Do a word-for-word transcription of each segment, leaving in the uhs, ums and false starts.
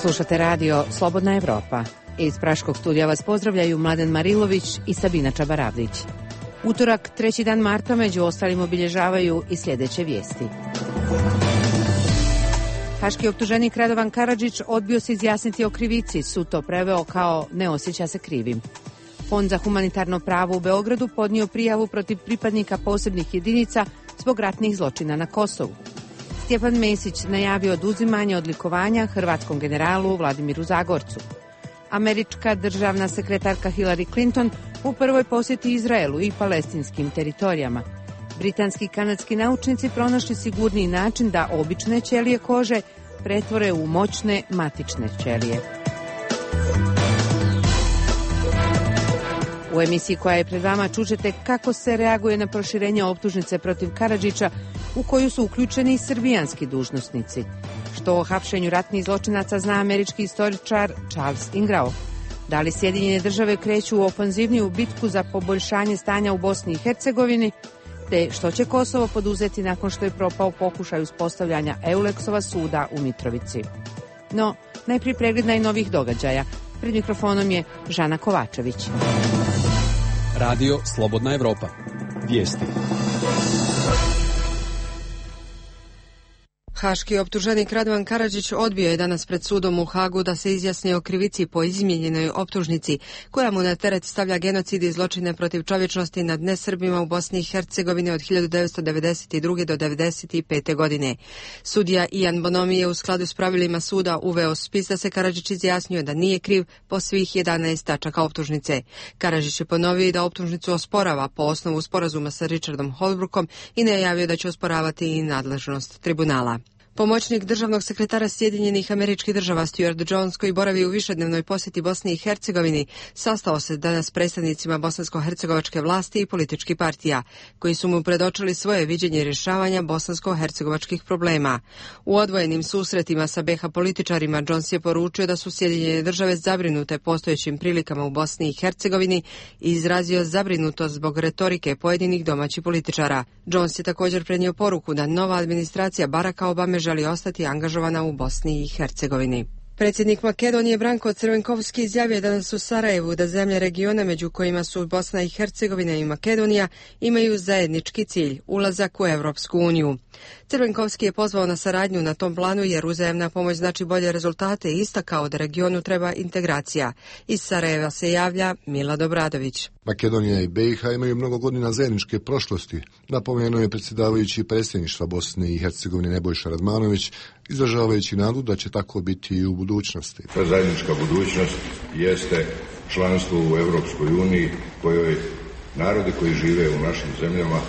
Slušate radio Slobodna Evropa. Iz Praškog studija vas pozdravljaju Mladen Marilović i Sabina Čabaravdić. Utorak, treći dan marta, među ostalim obilježavaju i sljedeće vijesti. Haški optuženik Radovan Karadžić odbio se izjasniti o krivici, sud to preveo kao ne osjeća se krivim. Fond za humanitarno pravo u Beogradu podnio prijavu protiv pripadnika posebnih jedinica zbog ratnih zločina na Kosovu. Stjepan Mesić najavio oduzimanje odlikovanja hrvatskom generalu Vladimiru Zagorcu. Američka državna sekretarka Hillary Clinton u prvoj posjeti Izraelu i palestinskim teritorijama. Britanski i kanadski naučnici pronašli sigurniji način da obične ćelije kože pretvore u moćne matične ćelije. U emisiji koja je pred vama čućete kako se reaguje na proširenje optužnice protiv Karadžića u koju su uključeni i srbijanski dužnosnici. Što o hapšenju ratnih zločinaca zna američki istoričar Charles Ingrao. Da li Sjedinjene države kreću u ofanzivniju bitku za poboljšanje stanja u Bosni i Hercegovini, te što će Kosovo poduzeti nakon što je propao pokušaj uspostavljanja Euleksova suda u Mitrovici. No, najprije pregled najnovijih događaja. Pred mikrofonom je Žana Kovačević. Radio Slobodna Evropa. Vijesti. Haški optuženik Radovan Karadžić odbio je danas pred sudom u Hagu da se izjasni o krivici po izmijenjenoj optužnici, koja mu na teret stavlja genocid i zločine protiv čovječnosti nad nesrbima u Bosni i Hercegovini od hiljadu devetsto devedeset druge do devedeset pete godine. Sudija Ian Bonomi je u skladu s pravilima suda uveo spis da se Karadžić izjasnio da nije kriv po svih jedanaest tačaka optužnice. Karadžić je ponovio da optužnicu osporava po osnovu sporazuma sa Richardom Holbrookom i najavio da će osporavati i nadležnost tribunala. Pomoćnik državnog sekretara Sjedinjenih Američkih Država Stuart Jones, koji boravi u višednevnoj posjeti Bosni i Hercegovini, sastao se danas s predstavnicima bosansko-hercegovačke vlasti i političkih partija, koji su mu predočili svoje viđenje rješavanja bosansko-hercegovačkih problema. U odvojenim susretima sa be ha političarima Jones je poručio da su Sjedinjene Države zabrinute postojećim prilikama u Bosni i Hercegovini i izrazio zabrinutost zbog retorike pojedinih domaćih političara. Jones je također prenio poruku da nova administracija Baracka Obame želi ostati angažovana u Bosni i Hercegovini. Predsjednik Makedonije Branko Crvenkovski izjavio danas u Sarajevu da zemlje regiona, među kojima su Bosna i Hercegovina i Makedonija, imaju zajednički cilj – ulazak u Europsku uniju. Crvenkovski je pozvao na saradnju na tom planu jer uzajamna pomoć znači bolje rezultate i istakao da regionu treba integracija. Iz Sarajeva se javlja Milad Obradović. Makedonija i be i ha imaju mnogo godina zajedničke prošlosti, napomenuo je predsjedavajući predsjedništva Bosne i Hercegovine Nebojša Radmanović, izražavajući nadu da će tako biti i u budućnosti. Ta zajednička budućnost jeste članstvo u Europskoj uniji, kojoj narodi koji žive u našim zemljama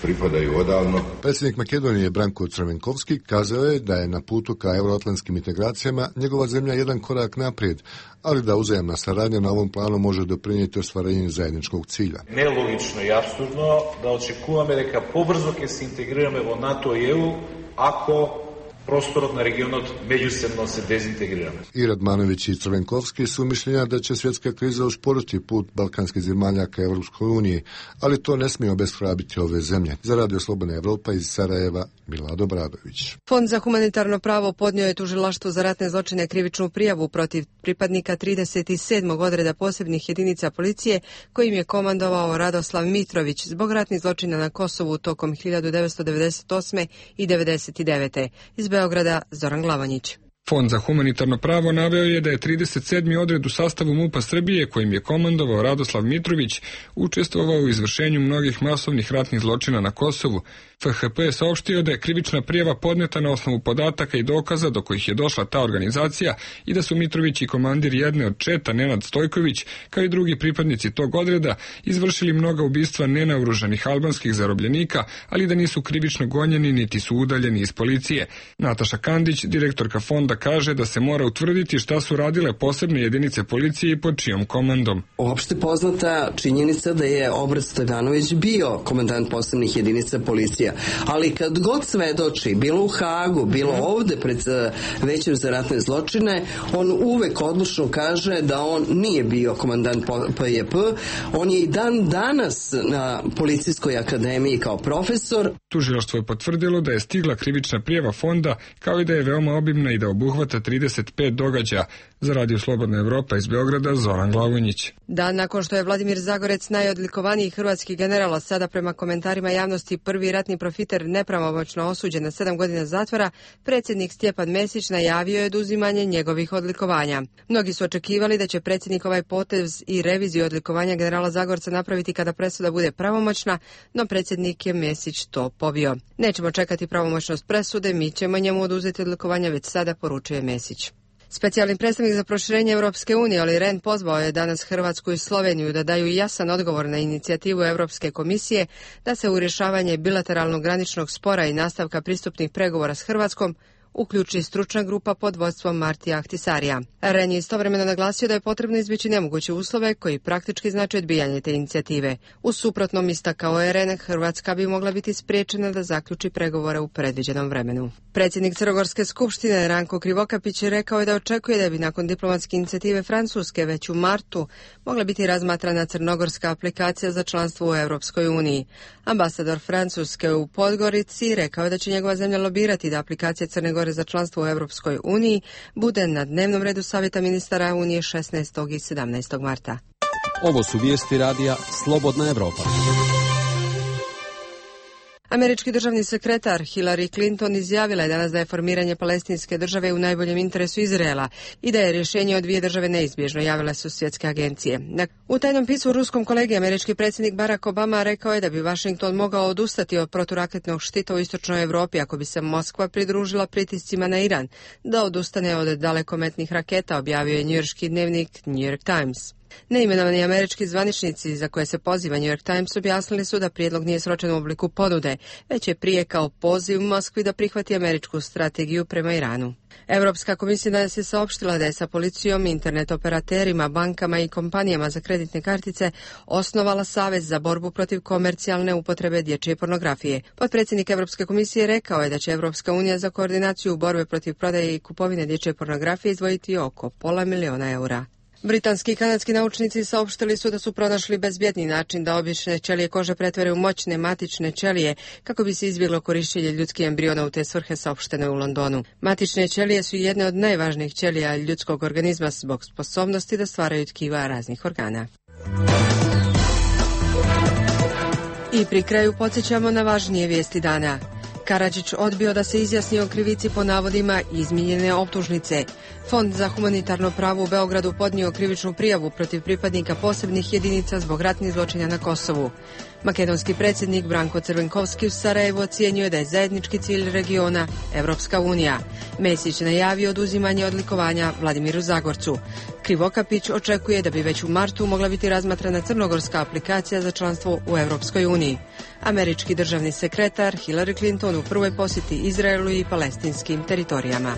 pripadaju odavno. Predsjednik Makedonije Branko Crvenkovski kazao je da je na putu ka euroatlantskim integracijama njegova zemlja jedan korak naprijed, ali da uzajamna saradnja na ovom planu može doprinijeti ostvarenju zajedničkog cilja. Nelogično i apsurdno da očekujeme дека побрзо ќе се интегрираме во НАТО и ЕУ ако prostorot na regionot međusobno se dezintegriramo. I Radmanović i Crvenkovski su mišljenja da će svjetska kriza usporiti put balkanskih zemalja ka Evropskoj uniji, ali to ne smije obeshrabiti ove zemlje. Za Radio Slobodna Evropa iz Sarajeva, Milad Obradović. Fond za humanitarno pravo podnio je tužilaštvu za ratne zločine krivičnu prijavu protiv pripadnika trideset sedmog odreda posebnih jedinica policije, kojim je komandovao Radoslav Mitrović zbog ratnih zločina na Kosovu tokom hiljadu devetsto devedeset osme i devedeset devete. Iz Beograda Zoran Glavanjić. Fond za humanitarno pravo naveo je da je trideset sedmi odred u sastavu MUP-a Srbije, kojim je komandovao Radoslav Mitrović, učestvovao u izvršenju mnogih masovnih ratnih zločina na Kosovu. F H P je saopštio da je krivična prijava podneta na osnovu podataka i dokaza do kojih je došla ta organizacija i da su Mitrović i komandir jedne od četa Nenad Stojković, kao i drugi pripadnici tog odreda, izvršili mnoga ubistva nenaoružanih albanskih zarobljenika, ali da nisu krivično gonjeni niti su udaljeni iz policije. Nataša Kandić, direktorka fonda, kaže da se mora utvrditi šta su radile posebne jedinice policije i pod čijom komandom. Opšte poznata činjenica da je Obraz Stojanović bio komandant posebnih jedinica policija, ali kad god svedoči, bilo u Hagu, bilo ovde pred Većem za ratne zločine, on uvek odlučno kaže da on nije bio komandant P J P, on je i dan danas na Policijskoj akademiji kao profesor. Tužilaštvo je potvrdilo da je stigla krivična prijava fonda, kao i da je veoma obimna i da obuhvata obuhvata trideset pet događaja. Za Radio Slobodna Evropa iz Beograda, Zoran Glavonjić. Dan nakon što je Vladimir Zagorec, najodlikovaniji hrvatski general, a sada prema komentarima javnosti prvi ratni profiter, nepravomoćno osuđen na sedam godina zatvora, predsjednik Stjepan Mesić najavio je oduzimanje njegovih odlikovanja. Mnogi su očekivali da će predsjednik ovaj potez i reviziju odlikovanja generala Zagorca napraviti kada presuda bude pravomoćna, no predsjednik je Mesić to pobio. Nećemo čekati pravomoćnost presude, mi ćemo njemu oduzeti odlikovanja već sada, poručuje Mesić. Specijalni predstavnik za proširenje Europske unije Olli Rehn pozvao je danas Hrvatsku i Sloveniju da daju jasan odgovor na inicijativu Europske komisije da se u rješavanje bilateralnog graničnog spora i nastavka pristupnih pregovora s Hrvatskom uključi stručna grupa pod vodstvom Martija Ahtisarija. Rehn je istovremeno naglasio da je potrebno izbjeći nemoguće uslove koji praktički znači odbijanje te inicijative. U suprotnom, istakao je Rehn, Hrvatska bi mogla biti spriječena da zaključi pregovore u predviđenom vremenu. Predsjednik Crnogorske skupštine Ranko Krivokapić rekao je da očekuje da bi nakon diplomatske inicijative Francuske već u martu mogla biti razmatrana crnogorska aplikacija za članstvo u Europskoj uniji. Ambasador Francuske u Podgorici rekao je da će njegova zemlja lobirati da aplikacija Crne Gore za članstvo u Europskoj uniji bude na dnevnom redu Savjeta ministara Unije šesnaestog i sedamnaestog marta. Ovo su vijesti radija Slobodna Evropa. Američki državni sekretar Hillary Clinton izjavila je danas da je formiranje palestinske države u najboljem interesu Izraela i da je rješenje o dvije države neizbježno, javile su svjetske agencije. U tajnom pismu ruskom kolegi američki predsjednik Barack Obama rekao je da bi Washington mogao odustati od proturaketnog štita u istočnoj Europi ako bi se Moskva pridružila pritiscima na Iran da odustane od dalekometnih raketa, objavio je njujorški dnevnik New York Times. Neimenovani američki zvaničnici za koje se poziva New York Times objasnili su da prijedlog nije sročen u obliku ponude, već je prije kao poziv Moskvi da prihvati američku strategiju prema Iranu. Europska komisija danas je saopštila da je sa policijom, internet operaterima, bankama i kompanijama za kreditne kartice osnovala Savez za borbu protiv komercijalne upotrebe dječje pornografije. Potpredsjednik Europske komisije rekao je da će Europska unija za koordinaciju borbe protiv prodaje i kupovine dječje pornografije izdvojiti oko pola miliona eura. Britanski i kanadski naučnici saopštili su da su pronašli bezbjedni način da obične ćelije kože pretvore u moćne matične ćelije kako bi se izbjeglo korištenje ljudskih embriona u te svrhe, saopšteno je u Londonu. Matične ćelije su jedne od najvažnijih ćelija ljudskog organizma zbog sposobnosti da stvaraju tkiva raznih organa. I pri kraju podsjećamo na važnije vijesti dana. Karadžić odbio da se izjasni o krivici po navodima izmijenjene optužnice. Fond za humanitarno pravo u Beogradu podnio krivičnu prijavu protiv pripadnika posebnih jedinica zbog ratnih zločina na Kosovu. Makedonski predsjednik Branko Crvenkovski u Sarajevu ocijenio da je zajednički cilj regiona Evropska unija. Mesić najavio oduzimanje odlikovanja Vladimiru Zagorcu. Krivokapić očekuje da bi već u martu mogla biti razmatrana crnogorska aplikacija za članstvo u Evropskoj uniji. Američki državni sekretar Hillary Clinton u prvoj posjeti Izraelu i palestinskim teritorijama.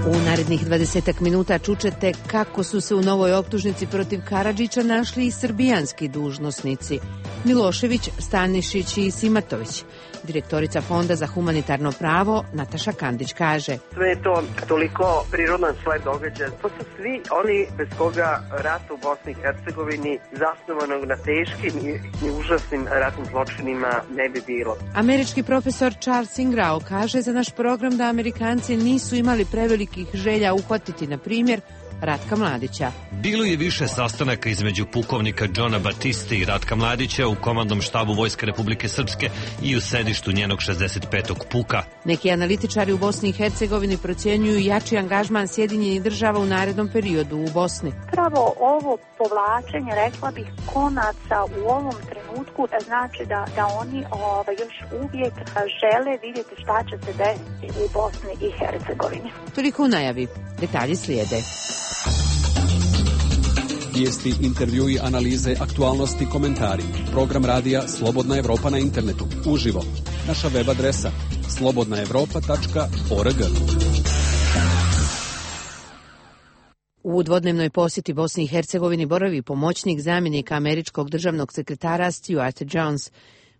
U narednih dvadesetak minuta čućete kako su se u novoj optužnici protiv Karadžića našli i srbijanski dužnosnici Milošević, Stanišić i Simatović. Direktorica Fonda za humanitarno pravo Nataša Kandić kaže: sve je to toliko prirodan sled događaja. To su svi oni bez koga rat u Bosni i Hercegovini zasnovanog na teškim i, i užasnim ratnim zločinima ne bi bilo. Američki profesor Charles Ingrao kaže za naš program da Amerikanci nisu imali prevelikih želja uhvatiti, na primjer, Ratka Mladića. Bilo je više sastanaka između pukovnika Johna Batiste i Ratka Mladića u komandnom štabu Vojske Republike Srpske i u sedištu njenog šezdeset petog puka. Neki analitičari u Bosni i Hercegovini procjenjuju jači angažman Sjedinjenih država u narednom periodu u Bosni. Pravo ovo povlačenje, rekla bih, konaca u ovom trenutku znači da, da oni ovaj, još uvijek žele vidjeti šta će se desiti u Bosni i Hercegovini. Toliko u najavi. Detalji slijede. Vijesti, intervjui, analize, aktualnosti, komentari. Program radija Slobodna Evropa na internetu. Uživo. Naša web adresa slobodna evropa tačka org. U dvodnevnoj posjeti Bosni i Hercegovini boravi pomoćnik zamjenika američkog državnog sekretara Stuart Jones.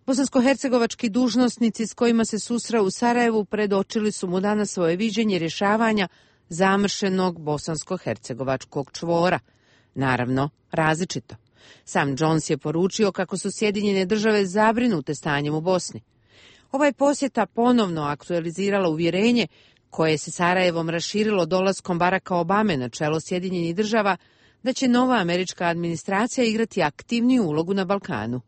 Bosansko-hercegovački dužnosnici s kojima se susreo u Sarajevu predočili su mu danas svoje viđenje rješavanja zamršenog bosansko-hercegovačkog čvora. Naravno, različito. Sam Jones je poručio kako su Sjedinjene države zabrinute stanjem u Bosni. Ova je posjeta ponovno aktualizirala uvjerenje koje se Sarajevom raširilo dolaskom Baracka Obame na čelo Sjedinjenih država da će nova američka administracija igrati aktivniju ulogu na Balkanu,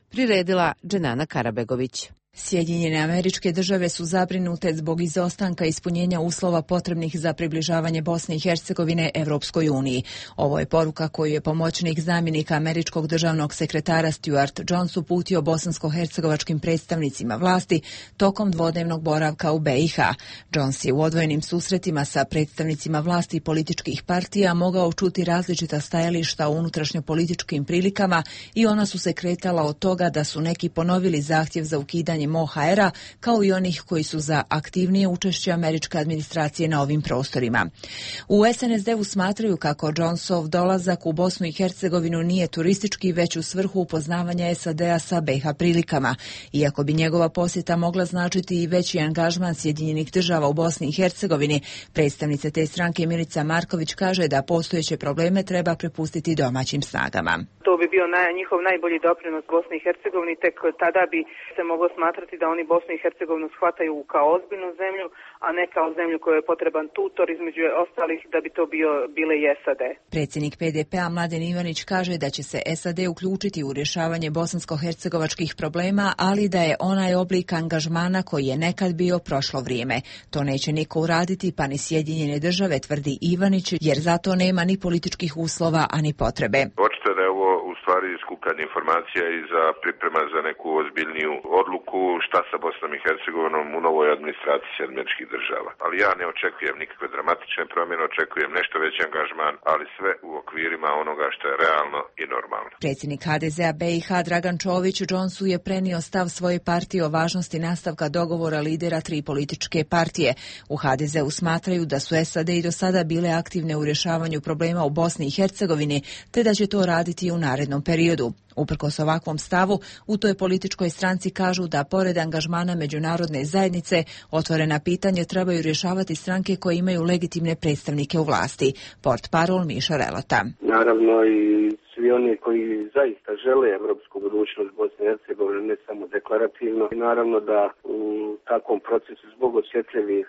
priredila Dženana Karabegović. Sjedinjene Američke Države su zabrinute zbog izostanka ispunjenja uslova potrebnih za približavanje Bosne i Hercegovine Evropskoj uniji. Ovo je poruka koju je pomoćnik zamjenika američkog državnog sekretara Stuart Jones uputio bosansko-hercegovačkim predstavnicima vlasti tokom dvodnevnog boravka u be i ha. Jones je u odvojenim susretima sa predstavnicima vlasti i političkih partija mogao čuti različita stajališta o unutrašnjopolitičkim prilikama i ona su se kretala od toga da su neki ponovili zahtjev za ukidanje o ha era, kao i onih koji su za aktivnije učešće američke administracije na ovim prostorima. U es en es de-u smatraju kako Jonesov dolazak u Bosnu i Hercegovinu nije turistički, već u svrhu upoznavanja es a de-a sa be i ha prilikama. Iako bi njegova posjeta mogla značiti i veći angažman Sjedinjenih država u Bosni i Hercegovini, predstavnica te stranke Milica Marković kaže da postojeće probleme treba prepustiti domaćim snagama. To bi bio naj, njihov najbolji doprinos Bosni i Hercegovini, tek tada bi se moglo smatrati da oni Bosnu i Hercegovinu shvataju kao ozbiljnu zemlju, a ne kao zemlju kojoj je potreban tutor između ostalih, da bi to bio bile i es a de. Predsjednik pe de pe-a Mladen Ivanić kaže da će se es a de uključiti u rješavanje bosansko-hercegovačkih problema, ali da je onaj oblik angažmana koji je nekad bio prošlo vrijeme. To neće niko uraditi, pa ni Sjedinjene države, tvrdi Ivanić, jer zato nema ni političkih uslova, ani potrebe. Očito da je ovo u stvari skupljanje informacija i za priprema za neku ozbiljniju odluku šta sa Bosnom i Hercegovinom u novoj administraciji američkih država. Ali ja ne očekujem nikakve dramatične promjene, očekujem nešto veći angažman, ali sve u okvirima onoga što je realno i normalno. Predsjednik ha de ze-a be i ha Dragan Čović Jonesu je prenio stav svoje partije o važnosti nastavka dogovora lidera tri političke partije. U ha de ze-u smatraju da su es a de i do sada bile aktivne u rješavanju problema u Bosni i Hercegovini, te da će to raditi i u narednom periodu. Uprkos ovakvom stavu, u toj političkoj stranci kažu da pored angažmana međunarodne zajednice, otvorena pitanja trebaju rješavati stranke koje imaju legitimne predstavnike u vlasti. Portparol Miša Relota. Naravno i svi oni koji zaista žele evropsku budućnost Bosne i Hercegovine, ne samo deklarativno. I naravno da u takvom procesu zbog osjetljivih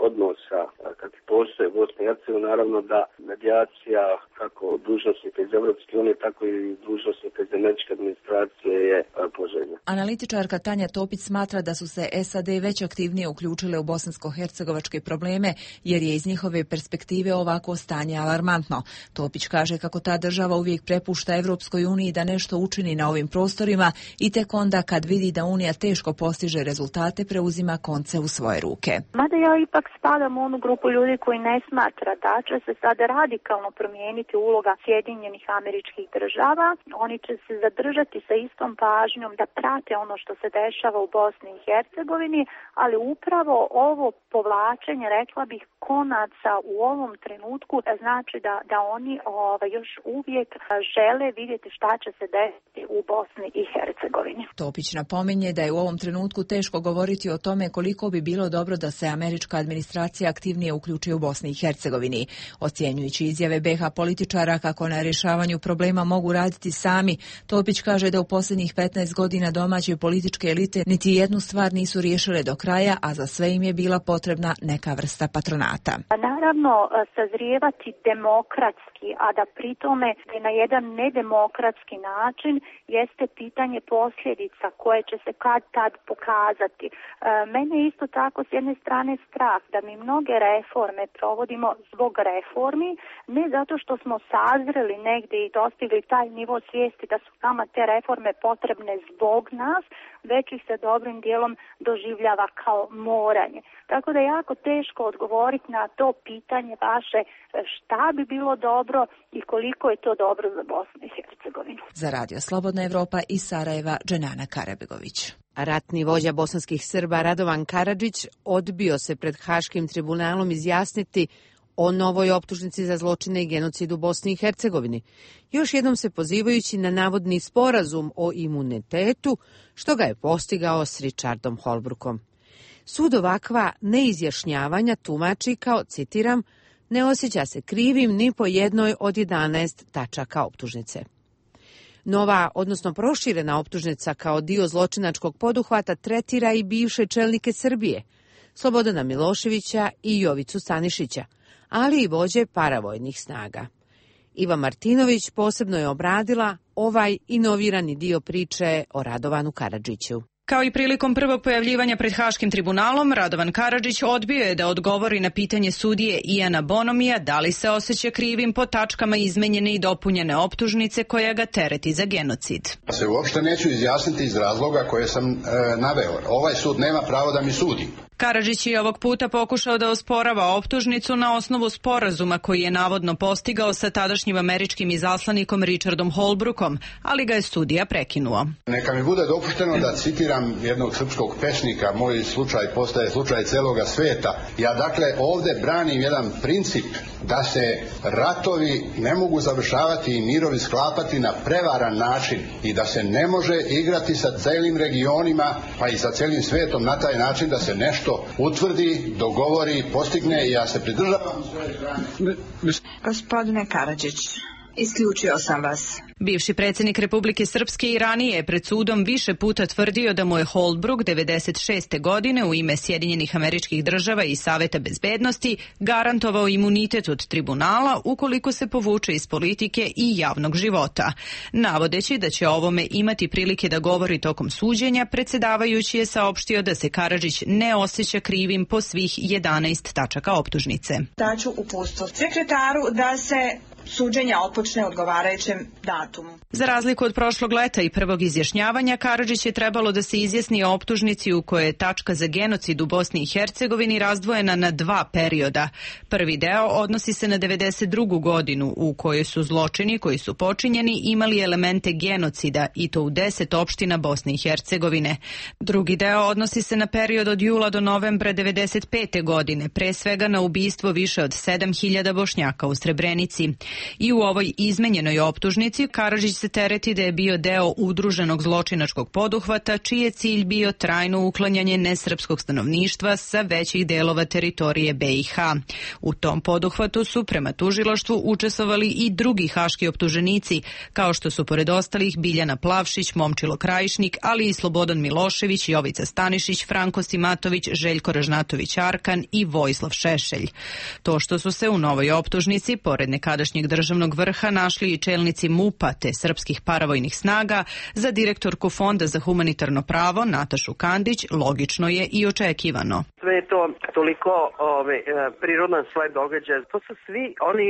odnosa kakvi postoje u Bosni i Hercegovini, naravno da medijacija kako dužnosnika iz Evropske unije, tako i dužnosnika iz američke administracije je poželjna. Analitičarka Tanja Topić smatra da su se es a de već aktivnije uključile u bosansko-hercegovačke probleme, jer je iz njihove perspektive ovako stanje alarmantno. Topić kaže kako ta država uvijek prepušta Evropskoj uniji da nešto učini na ovim prostorima i tek onda kad vidi da Unija teško postiže rezultate, preuzima konce u svoje ruke. Mada ja ipak spadam u onu grupu ljudi koji ne smatra da će se sada radikalno promijeniti uloga Sjedinjenih Američkih Država. Oni će se zadržati sa istom pažnjom da prate ono što se dešava u Bosni i Hercegovini, ali upravo ovo povlačenje, rekla bih, konaca u ovom trenutku znači da, da oni ovaj, još uvijek žele vidjeti šta će se desiti u Bosni i Hercegovini. Topić napominje da je u ovom trenutku teško govoriti o tome koliko bi bilo dobro da se američka administracija aktivnije uključi u Bosni i Hercegovini. Ocjenjujući izjave be ha političara kako na rješavanju problema mogu raditi sami, Topić kaže da u posljednjih petnaest godina domaće političke elite niti jednu stvar nisu riješile do kraja, a za sve im je bila potrebna neka vrsta patronata. Naravno, sazrijevati demokratski, a da pritome na jedan nedemokratski način jeste pitanje posljedica koje će se kad tad pokazati. Mene isto tako s jedne strane strah da mi mnoge reforme provodimo zbog reformi, ne zato što smo sazreli negdje i dostigli taj nivo svijesti da su nama te reforme potrebne zbog nas, već ih se dobrim dijelom doživljava kao moranje. Tako da je jako teško odgovoriti na to pitanje vaše šta bi bilo dobro i koliko je to dobro za Bosnu i Hercegovinu. Za Radio Slobodna Evropa iz Sarajeva, Dženana Karabegović. Ratni vođa bosanskih Srba Radovan Karadžić odbio se pred Haškim tribunalom izjasniti o novoj optužnici za zločine i genocid u Bosni i Hercegovini, još jednom se pozivajući na navodni sporazum o imunitetu, što ga je postigao s Richardom Holbrookom. Sud ovakva neizjašnjavanja tumači kao, citiram, ne osjeća se krivim ni po jednoj od jedanaest tačaka optužnice. Nova, odnosno proširena optužnica kao dio zločinačkog poduhvata tretira i bivše čelnike Srbije, Slobodana Miloševića i Jovicu Stanišića, ali i vođe paravojnih snaga. Iva Martinović posebno je obradila ovaj inovirani dio priče o Radovanu Karadžiću. Kao i prilikom prvog pojavljivanja pred Haškim tribunalom, Radovan Karadžić odbio je da odgovori na pitanje sudije Iana Bonomija da li se osjeća krivim po tačkama izmenjene i dopunjene optužnice koja ga tereti za genocid. Se uopšte neću izjasniti iz razloga koje sam e, naveo. Ovaj sud nema pravo da mi sudi. Karadžić je ovog puta pokušao da osporava optužnicu na osnovu sporazuma koji je navodno postigao sa tadašnjim američkim izaslanikom Richardom Holbrookom, ali ga je sudija prekinuo. Neka mi bude dopušteno da citiram jednog srpskog pesnika, moj slučaj postaje slučaj celoga sveta. Ja dakle ovde branim jedan princip da se ratovi ne mogu završavati i mirovi sklapati na prevaran način i da se ne može igrati sa celim regionima pa i sa celim svetom na taj način da se nešto utvrdi, dogovori, postigne i ja se pridržavam svoje strane. Gospodine Karadžić, isključio sam vas. Bivši predsjednik Republike Srpske i ranije je pred sudom više puta tvrdio da mu je Holbrooke devedeset šeste. godine u ime Sjedinjenih Američkih Država i Saveta bezbednosti garantovao imunitet od tribunala ukoliko se povuče iz politike i javnog života. Navodeći da će ovome imati prilike da govori tokom suđenja, predsjedavajući je saopštio da se Karadžić ne osjeća krivim po svih jedanaest tačaka optužnice. Daću uputstvo sekretaru da se suđenja otpočne odgovarajućem datumu. Za razliku od prošlog leta i prvog izjašnjavanja, Karadžić je trebalo da se izjasni o optužnici u kojoj je tačka za genocid u Bosni i Hercegovini razdvojena na dva perioda. Prvi deo odnosi se na devedeset drugu. godinu u kojoj su zločini koji su počinjeni imali elemente genocida i to u deset opština Bosne i Hercegovine. Drugi deo odnosi se na period od jula do novembra devedeset pete. godine, pre svega na ubistvo više od sedam hiljada Bošnjaka u Srebrenici. I u ovoj izmenjenoj optužnici Karadžić se tereti da je bio deo udruženog zločinačkog poduhvata čiji je cilj bio trajno uklanjanje nesrpskog stanovništva sa većih delova teritorije be i ha. U tom poduhvatu su prema tužilaštvu učestvovali i drugi haški optuženici, kao što su pored ostalih Biljana Plavšić, Momčilo Krajišnik, ali i Slobodan Milošević, Jovica Stanišić, Franko Simatović, Željko Ražnatović Arkan i Vojislav Šešelj. To što su se u novoj optužnici, pored nekadašnjeg državnog vrha, našli i čelnici mupa te srpskih paravojnih snaga, za direktorku Fonda za humanitarno pravo Natašu Kandić logično je i očekivano. Sve je to toliko ove, prirodan sled događaja. To su svi oni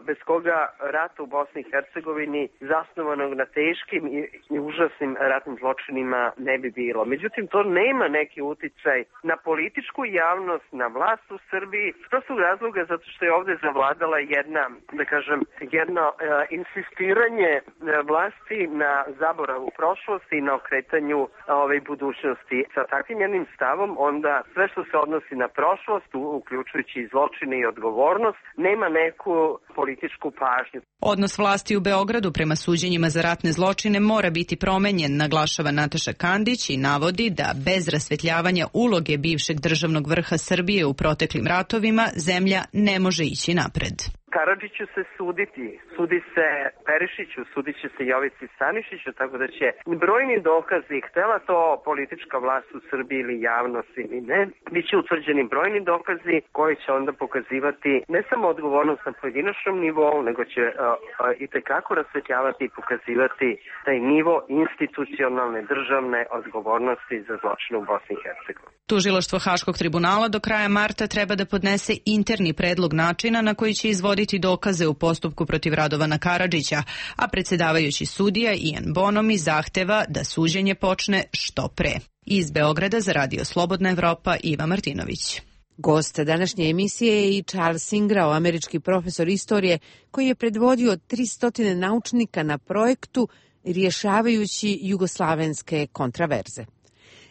bez koga rat u Bosni i Hercegovini zasnovanog na teškim i, i užasnim ratnim zločinima ne bi bilo. Međutim, to nema neki uticaj na političku javnost, na vlast u Srbiji. To su razloga zato što je ovde zavladala jedna, da kažem, jedno e, insistiranje vlasti na zaboravu prošlosti i na okretanju ove budućnosti. Sa takvim jednim stavom onda sve što se odnosi na prošlost, uključujući i zločine i odgovornost, nema neku političku pažnju. Odnos vlasti u Beogradu prema suđenjima za ratne zločine mora biti promenjen, naglašava Nataša Kandić i navodi da bez rasvetljavanja uloge bivšeg državnog vrha Srbije u proteklim ratovima zemlja ne može ići napred. Karadžiću se suditi, sudi se Perišiću, sudit će se Jovici Stanišiću, tako da će brojni dokazi, htela to politička vlast u Srbiji ili javnost ili ne, bit će utvrđeni brojni dokazi koji će onda pokazivati ne samo odgovornost na pojedinačnom nivou, nego će uh, uh, i tekako rasvetljavati i pokazivati taj nivo institucionalne državne odgovornosti za zločine u Bosni i Hercegovini. Tužilaštvo Haškog tribunala do kraja marta treba da podnese interni predlog načina na koji će izvoditi dokaze u postupku protiv Radovana Karadžića, a predsjedavajući sudija Ian Bonomi zahteva da suđenje počne što pre. Iz Beograda za Radio Slobodna Evropa, Iva Martinović. Gost današnje emisije je i Charles Ingrao, američki profesor istorije koji je predvodio tristo naučnika na projektu rješavajući jugoslavenske kontraverze.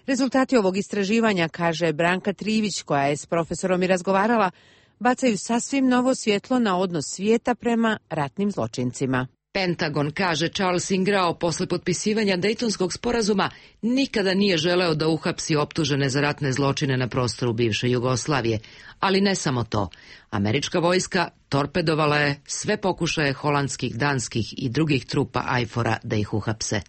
Rezultati ovog istraživanja, kaže Branka Trivić, koja je s profesorom i razgovarala, bacaju sasvim novo svjetlo na odnos svijeta prema ratnim zločincima. Pentagon, kaže Charles Ingrao, posle potpisivanja Dejtonskog sporazuma nikada nije želeo da uhapsi optužene za ratne zločine na prostoru bivše Jugoslavije. Ali ne samo to. Američka vojska torpedovala je sve pokušaje holandskih, danskih i drugih trupa ajfora da ih uhapse.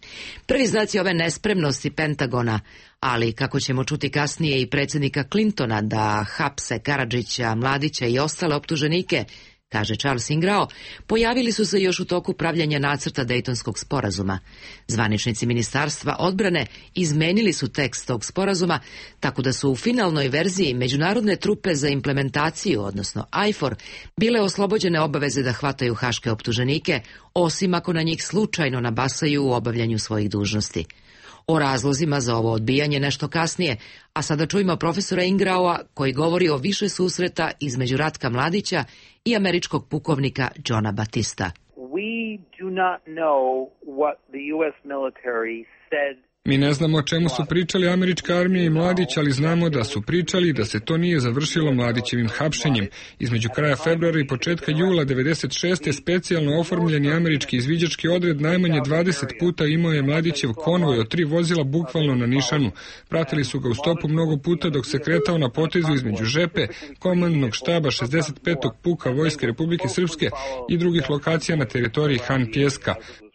Prvi znaci ove nespremnosti Pentagona, ali kako ćemo čuti kasnije i predsjednika Clintona da hapse Karadžića, Mladića i ostale optuženike, kaže Charles Ingrao, pojavili su se još u toku pravljanja nacrta Dejtonskog sporazuma. Zvaničnici Ministarstva odbrane izmenili su tekst tog sporazuma, tako da su u finalnoj verziji međunarodne trupe za implementaciju, odnosno ajfor, bile oslobođene obaveze da hvataju haške optuženike, osim ako na njih slučajno nabasaju u obavljanju svojih dužnosti. O razlozima za ovo odbijanje nešto kasnije, a sada čujemo profesora Ingraua koji govori o više susreta između Ratka Mladića i američkog pukovnika Johna Batista. We do not know what the U S military said. Mi ne znamo o čemu su pričali američka armija i Mladić, ali znamo da su pričali da se to nije završilo Mladićevim hapšenjem. Između kraja februara i početka jula devedeset šeste specijalno oformljeni američki izviđački odred najmanje dvadeset puta imao je Mladićev konvoj od tri vozila bukvalno na nišanu. Pratili su ga u stopu mnogo puta dok se kretao na potezu između Žepe, komandnog štaba šezdeset petog puka Vojske Republike Srpske i drugih lokacija na teritoriji Han Pjeska.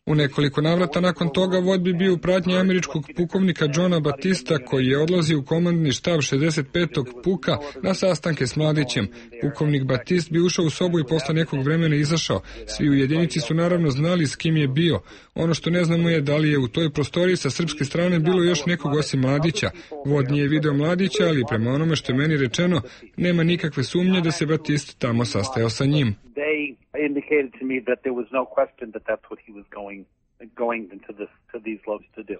U nekoliko navrata nakon toga vod bi bio u pratnji američkog pukovnika Johna Batista koji je odlazio u komandni štab šezdeset petog puka na sastanke s Mladićem. Pukovnik Batist bi ušao u sobu i posle nekog vremena izašao. Svi u jedinici su naravno znali s kim je bio. Ono što ne znamo je da li je u toj prostoriji sa srpske strane bilo još nekog osim Mladića. Vod nije video Mladića, ali prema onome što je meni rečeno, nema nikakve sumnje da se Batist tamo sastajao sa njim. Indicated to me that there was no question that that's what he was going going into this to these loads to do.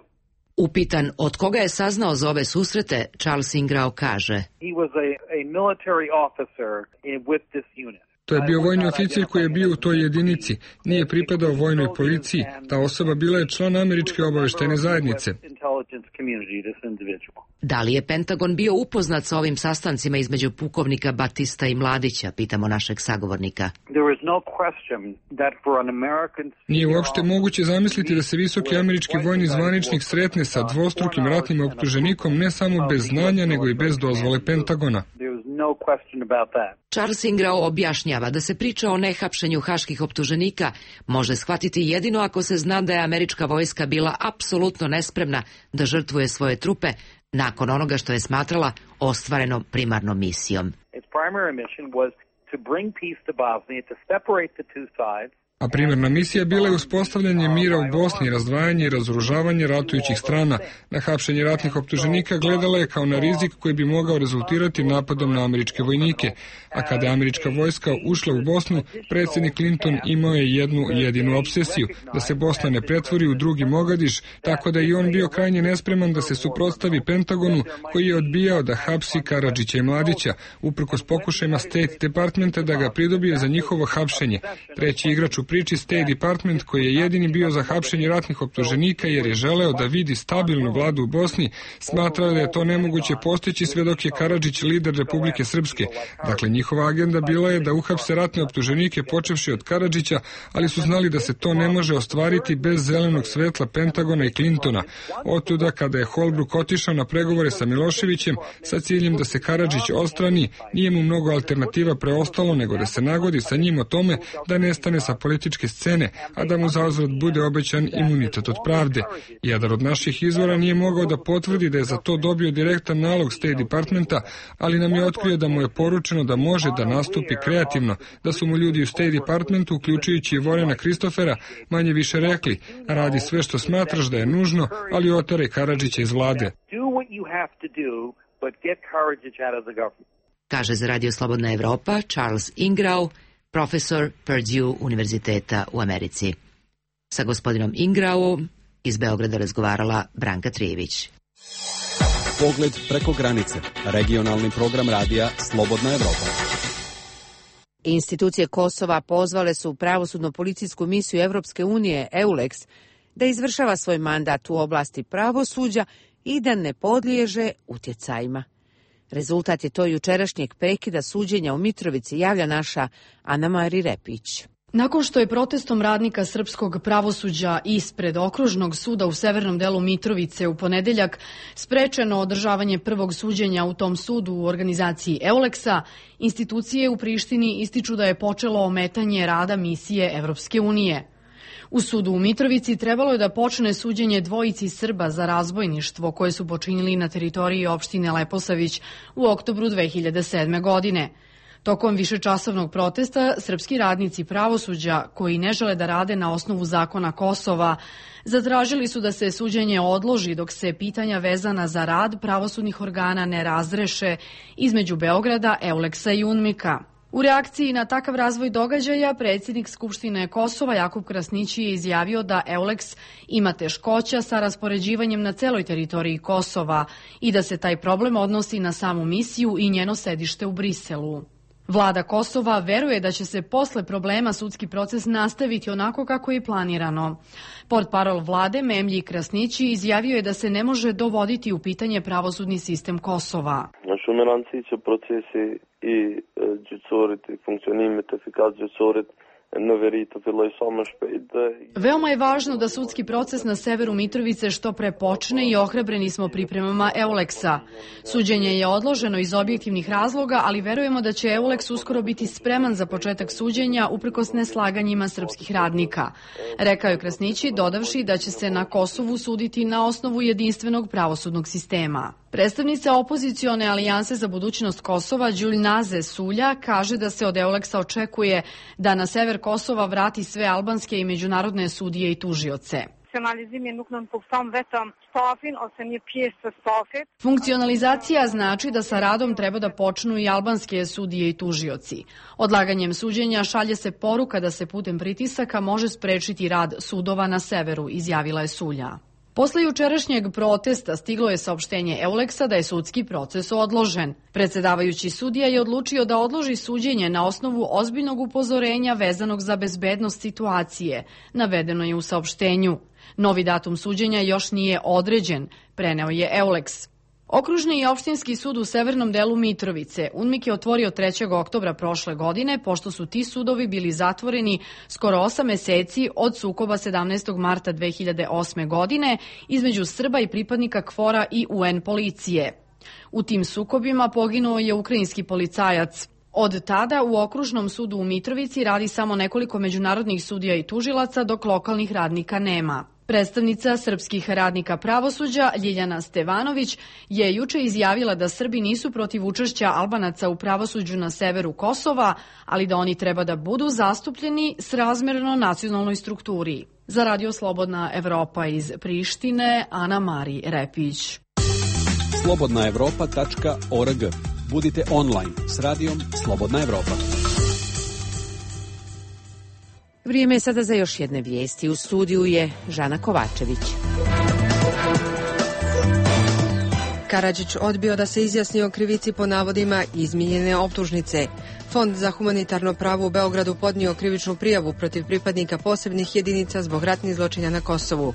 Upitan od koga je saznao za ove susrete, Charles Ingrao kaže: He was a, a military officer in, with this unit. To je bio vojni oficir koji je bio u toj jedinici. Nije pripadao vojnoj policiji. Ta osoba bila je član američke obaveštajne zajednice. Da li je Pentagon bio upoznat sa ovim sastancima između pukovnika Batista i Mladića, pitamo našeg sagovornika. Nije uopšte moguće zamisliti da se visoki američki vojni zvaničnik sretne sa dvostrukim ratnim optuženikom ne samo bez znanja, nego i bez dozvole Pentagona. Charles Ingrao objašnjava da se priča o nehapšenju haških optuženika može shvatiti jedino ako se zna da je američka vojska bila apsolutno nespremna da žrtvuje svoje trupe nakon onoga što je smatrala ostvarenom primarnom misijom. A primarna misija bila je uspostavljanje mira u Bosni, razdvajanje i razoružavanje ratujućih strana. Na hapšenje ratnih optuženika gledala je kao na rizik koji bi mogao rezultirati napadom na američke vojnike. A kada je američka vojska ušla u Bosnu, predsjednik Clinton imao je jednu jedinu obsesiju, da se Bosna ne pretvori u drugi Mogadiš, tako da i on bio krajnje nespreman da se suprotstavi Pentagonu koji je odbijao da hapsi Karadžića i Mladića, uprkos pokušajima State Departmenta da ga pridobije za njihovo hapšenje. Treći igrač u priči State Department, koji je jedini bio za hapšenje ratnih optuženika jer je želeo da vidi stabilnu vladu u Bosni, smatrao da je to nemoguće postići sve dok je Karadžić lider Republike Srpske. Dakle, njihova agenda bila je da uhapse ratne optuženike počevši od Karadžića, ali su znali da se to ne može ostvariti bez zelenog svetla Pentagona i Clintona. Otuda, kada je Holbrooke otišao na pregovore sa Miloševićem sa ciljem da se Karadžić odstrani, nije mu mnogo alternativa preostalo nego da se nagodi sa njim o tome da nestane sa političke scene, a da mu zauzvrat bude obećan imunitet od pravde. Jedan od naših izvora nije mogao da potvrdi da je za to dobio direktan nalog State Departmenta, ali nam je otkrio da mu je poručeno da može da nastupi kreativno, da su mu ljudi u State Departmentu, uključujući i Vorena Kristofera, manje više rekli: radi sve što smatraš da je nužno, ali oteraj Karadžića iz vlade. Kaže za Radio Slobodna Evropa Charles Ingrao, profesor Purdue univerziteta u Americi. Sa gospodinom Ingraom iz Beograda razgovarala Branka Trijević. Pogled preko granice. Regionalni program radija Slobodna Evropa. Institucije Kosova pozvale su pravosudno-policijsku misiju Evropske unije EULEX da izvršava svoj mandat u oblasti pravosuđa i da ne podliježe utjecajima. Rezultat je to jučerašnjeg prekida suđenja u Mitrovici, javlja naša Ana Mari Repić. Nakon što je protestom radnika srpskog pravosuđa ispred okružnog suda u severnom delu Mitrovice u ponedeljak sprečeno održavanje prvog suđenja u tom sudu u organizaciji Euleksa, institucije u Prištini ističu da je počelo ometanje rada misije Evropske unije. U sudu u Mitrovici trebalo je da počne suđenje dvojici Srba za razbojništvo koje su počinili na teritoriji opštine Leposavić u oktobru dve hiljade sedme. godine. Tokom višečasovnog protesta, srpski radnici pravosuđa, koji ne žele da rade na osnovu zakona Kosova, zatražili su da se suđenje odloži dok se pitanja vezana za rad pravosudnih organa ne razreše između Beograda, Euleksa i UNMIK-a. U reakciji na takav razvoj događaja, predsjednik Skupštine Kosova Jakub Krasnići je izjavio da Euleks ima teškoća sa raspoređivanjem na celoj teritoriji Kosova i da se taj problem odnosi na samu misiju i njeno sedište u Briselu. Vlada Kosova veruje da će se posle problema sudski proces nastaviti onako kako je planirano. Portparol vlade Memlji Krasnići izjavio je da se ne može dovoditi u pitanje pravosudni sistem Kosova. Në shumëranësi që procesi i gjyqësorit, i funksionimit efikas gjyqësorit në veri të filloj sa më shpejt. Veoma je važno da sudski proces na severu Mitrovice što pre počne i ohrabreni smo pripremama Euleksa. Suđenje je odloženo iz objektivnih razloga, ali verujemo da će Euleks uskoro biti spreman za početak suđenja uprkos neslaganjima srpskih radnika. Rekao je Krasnići, dodavši da će se na Kosovu suditi na osnovu jedinstvenog pravosudnog sistema. Predstavnica opozicione alijanse za budućnost Kosova, Đulnaze Sulja, kaže da se od Euleksa očekuje da na sever Kosova vrati sve albanske i međunarodne sudije i tužioce. Funkcionalizacija znači da sa radom treba da počnu i albanske sudije i tužioci. Odlaganjem suđenja šalje se poruka da se putem pritisaka može sprečiti rad sudova na severu, izjavila je Sulja. Posle jučerašnjeg protesta stiglo je saopštenje Euleksa da je sudski proces odložen. Predsedavajući sudija je odlučio da odloži suđenje na osnovu ozbiljnog upozorenja vezanog za bezbednost situacije, navedeno je u saopštenju. Novi datum suđenja još nije određen, preneo je Euleks. Okružni i opštinski sud u severnom delu Mitrovice UNMIK je otvorio trećeg oktobra prošle godine, pošto su ti sudovi bili zatvoreni skoro osam meseci od sukoba sedamnaestog marta dve hiljade osme. godine između Srba i pripadnika KFOR-a i U N policije. U tim sukobima poginuo je ukrajinski policajac. Od tada u okružnom sudu u Mitrovici radi samo nekoliko međunarodnih sudija i tužilaca, dok lokalnih radnika nema. Predstavnica srpskih radnika pravosuđa Ljiljana Stevanović je juče izjavila da Srbi nisu protiv učešća Albanaca u pravosuđu na severu Kosova, ali da oni treba da budu zastupljeni srazmerno nacionalnoj strukturi. Za Radio Slobodna Evropa iz Prištine, Ana Mari Repić. slobodna evropa tačka org. Budite online s radijom Slobodna Evropa. Vrijeme je sada za još jedne vijesti. U studiju je Žana Kovačević. Karadžić odbio da se izjasni o krivici po navodima izmijenjene optužnice. Fond za humanitarno pravo u Beogradu podnio krivičnu prijavu protiv pripadnika posebnih jedinica zbog ratnih zločina na Kosovu.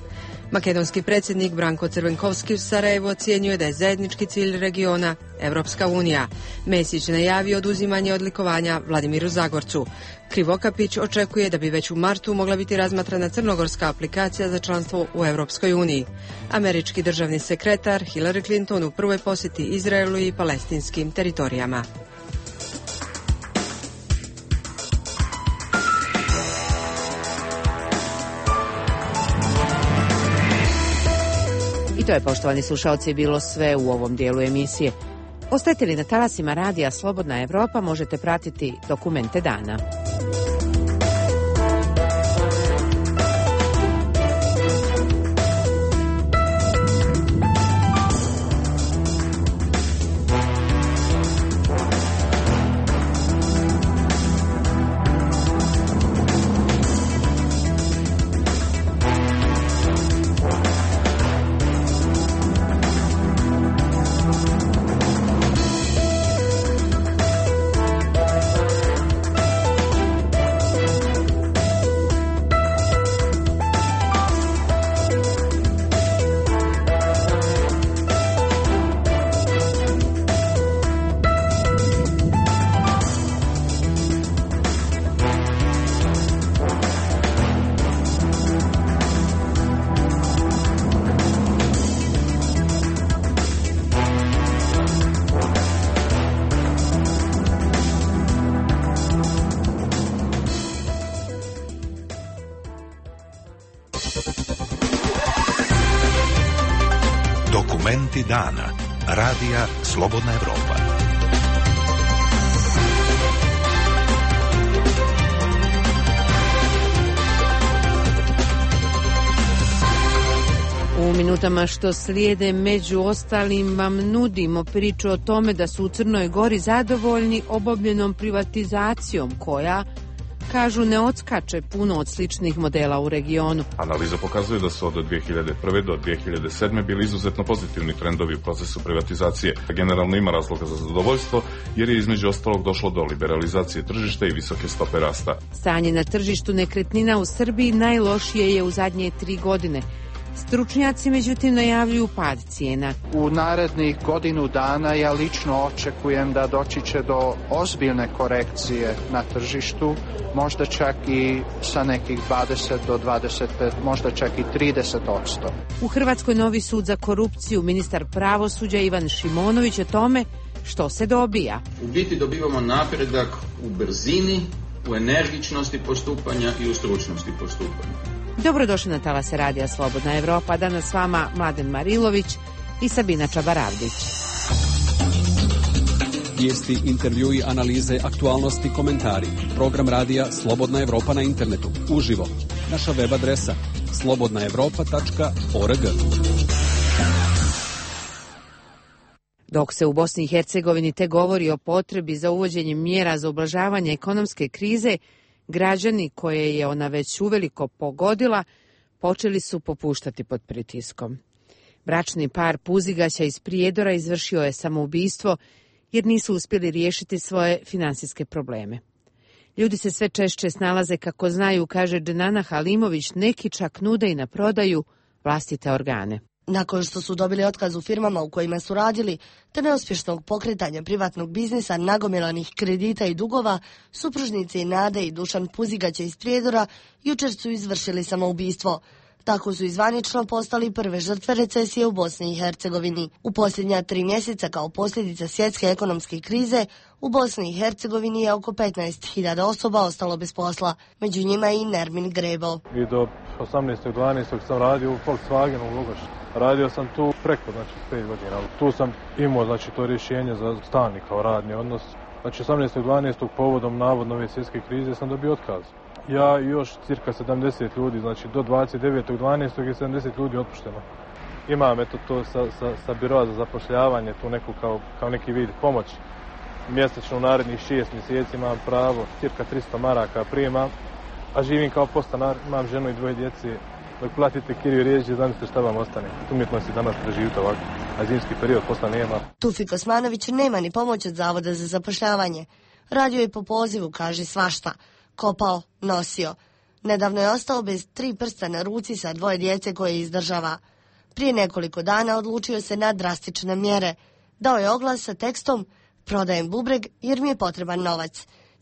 Makedonski predsjednik Branko Crvenkovski u Sarajevu ocjenjuje da je zajednički cilj regiona Evropska unija. Mesić najavio oduzimanje odlikovanja Vladimiru Zagorcu. Krivokapić očekuje da bi već u martu mogla biti razmatrana crnogorska aplikacija za članstvo u Evropskoj uniji. Američki državni sekretar Hillary Clinton u prvoj posjeti Izraelu i palestinskim teritorijama. I to je, poštovani slušalci, bilo sve u ovom dijelu emisije. Ostajte li na talasima radija Slobodna Evropa, možete pratiti dokumente dana. Dokumenti dana. Radija Slobodna Evropa. U minutama što slijede među ostalim vam nudimo priču o tome da su u Crnoj Gori zadovoljni obavljenom privatizacijom koja, kažu, ne odskače puno od sličnih modela u regionu. Analiza pokazuje da su od dvije hiljade prve do dvije hiljade sedme bili izuzetno pozitivni trendovi u procesu privatizacije. Generalno ima razloga za zadovoljstvo jer je između ostalog došlo do liberalizacije tržišta i visoke stope rasta. Stanje na tržištu nekretnina u Srbiji najlošije je u zadnje tri godine. Stručnjaci međutim najavljuju pad cijena. U narednih godinu dana ja lično očekujem da doći će do ozbiljne korekcije na tržištu, možda čak i sa nekih dvadeset do dvadeset pet, možda čak i trideset posto. U Hrvatskoj novi sud za korupciju, ministar pravosuđa Ivan Šimonović o tome što se dobija. U biti dobivamo napredak u brzini, u energičnosti postupanja i u stručnosti postupanja. Dobrodošli na talase Radija Slobodna Evropa. Danas s vama Mladen Marilović i Sabina Čabaravdić. Vijesti, intervjui, analize, aktualnosti, komentari. Program Radija Slobodna Evropa na internetu. Uživo. Naša web adresa slobodna evropa tačka org. Dok se u Bosni i Hercegovini te govori o potrebi za uvođenjem mjera za ublažavanje ekonomske krize, građani koje je ona već uveliko pogodila počeli su popuštati pod pritiskom. Bračni par Puzigaća iz Prijedora izvršio je samoubistvo jer nisu uspjeli riješiti svoje finansijske probleme. Ljudi se sve češće snalaze kako znaju, kaže Dženana Halimović, neki čak nude i na prodaju vlastite organe. Nakon što su dobili otkaz u firmama u kojima su radili, te neuspješnog pokretanja privatnog biznisa, nagomilanih kredita i dugova, supružnici Nade i Dušan Puzigaća iz Prijedora jučer su izvršili samoubistvo. Tako su izvanično postali prve žrtve recesije u Bosni i Hercegovini. U posljednja tri mjeseca kao posljedica svjetske ekonomske krize u Bosni i Hercegovini je oko petnaest hiljada osoba ostalo bez posla. Među njima je i Nermin Grebo. I do osamnaestog dvanaestog sam radio u Volkswagenu u Lugošu. Radio sam tu preko, znači, pet godina. Tu sam imao, znači, to rješenje za stalni kao radni odnos. Znači, osamnaestog dvanaestog povodom navodno ove svjetske krize sam dobio otkaz. Ja i još cirka sedamdeset ljudi, znači do dvadeset devetog dvanaestog je sedamdeset ljudi otpušteno. Imam eto to sa, sa, sa biroa za zapošljavanje, tu neku kao, kao neki vid pomoći. Mjesečno u narednih šest mjeseci imam pravo, cirka tristo maraka primam, a živim kao podstanar, imam ženu i dvoje djece. Dok platite kiriju rijeđe, zamislite šta vam ostane. Umjetnost je danas preživite ovako, a zimski period posla nema. Tufik Osmanović nema ni pomoć od Zavoda za zapošljavanje. Radio je po pozivu, kaže, svašta. Kopao, nosio. Nedavno je ostao bez tri prsta na ruci sa dvoje djece koje izdržava. Prije nekoliko dana odlučio se na drastične mjere. Dao je oglas sa tekstom "Prodajem bubreg jer mi je potreban novac".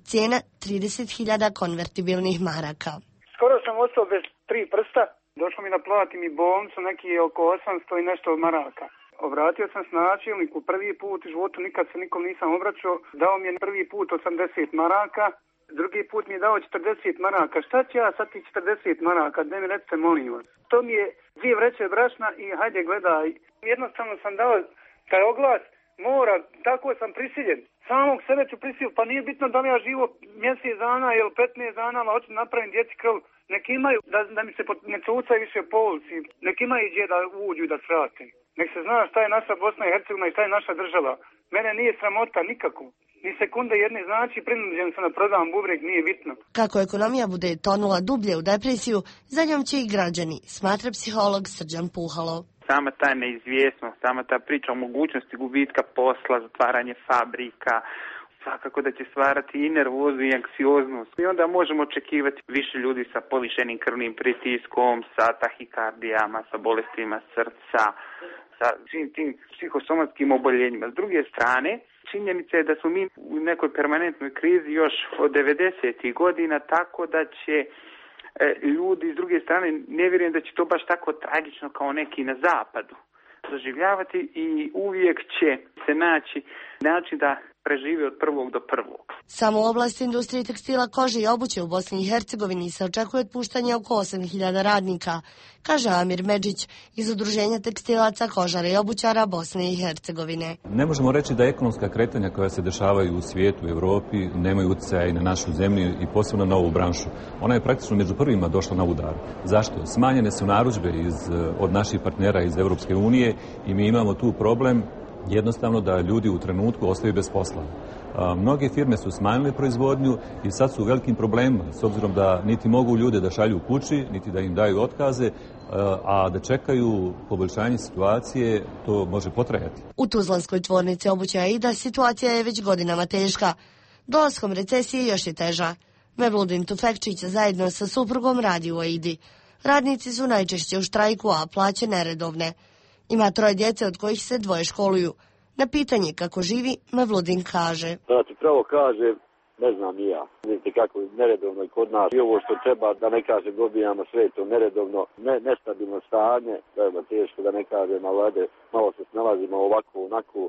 Cijena trideset hiljada konvertibilnih maraka. Skoro sam ostao bez tri prsta. Došlo mi da platim i bolnicu, neki oko osamsto i nešto maraka. Obratio sam se načelniku prvi put u životu, nikad se nikom nisam obraćao. Dao mi je prvi put osamdeset maraka. Drugi put mi je dao četrdeset maraka. Šta ću ja sad ti četrdeset maraka? Daj mi recite, molim vas. To mi je dvije vreće brašna i hajde gledaj. Jednostavno sam dao taj oglas, mora, tako sam prisiljen. Samog sebe ću prisiliti, pa nije bitno da li ja živo mjesec dana ili petnaest dana, ali hoću napraviti djeci krv. Nek imaju, da, da mi se ne čucaju više po ulici. Nek imaju gdje da uđu i da svrate. Nek se zna šta je naša Bosna i Hercegovina i šta je naša država. Mene nije sramota nikako. Ni sekunde jedne, znači prinuđen sam da prodam bubreg, nije bitno. Kako ekonomija bude tonula dublje u depresiju, za njom će i građani, smatra psiholog Srđan Puhalo. Sama ta neizvjesnost, sama ta priča o mogućnosti gubitka posla, zatvaranje fabrika, svakako da će stvarati i nervozu i anksioznost. I onda možemo očekivati više ljudi sa povišenim krvnim pritiskom, sa tahikardijama, sa bolestima srca, sa svim tim psihosomatskim oboljenjima. S druge strane, činjenica je da smo mi u nekoj permanentnoj krizi još od devedesetih godina, tako da će e, ljudi s druge strane, ne vjerujem da će to baš tako tragično kao neki na zapadu doživljavati i uvijek će se naći način da preživi od prvog do prvog. Samo u oblasti industrije tekstila, kože i obuće u Bosni i Hercegovini se očekuje otpuštanje oko osam hiljada radnika, kaže Amir Medžić iz Udruženja tekstilaca, kožara i obućara Bosne i Hercegovine. Ne možemo reći da ekonomska kretanja koja se dešavaju u svijetu, u Europi, nemaju utjecaja i na našu zemlju i posebno na ovu branšu. Ona je praktično među prvima došla na udar. Zašto? Smanjene su narudžbe iz, od naših partnera iz Europske unije i mi imamo tu problem jednostavno da ljudi u trenutku ostaju bez posla. A, mnoge firme su smanjile proizvodnju i sad su u velikim problemima, s obzirom da niti mogu ljude da šalju kući, niti da im daju otkaze, a, a da čekaju poboljšanje situacije, to može potrajati. U tuzlanskoj tvornici obuće Aida situacija je već godinama teška. Dolaskom recesije još je teža. Mevludin Tufekčić zajedno sa suprugom radi u Aidi. Radnici su najčešće u štrajku, a plaće neredovne. Ima troje djece od kojih se dvoje školuju. Na pitanje kako živi, Mevludin kaže. Da ti pravo kaže, ne znam i ja. Vidite kako je neredovno i kod nas. I ovo što treba, da ne kažem, dobijamo sve to neredovno, ne, nestabilno stanje, da je teško da ne kažem, ali malo se snalazimo ovako, onako.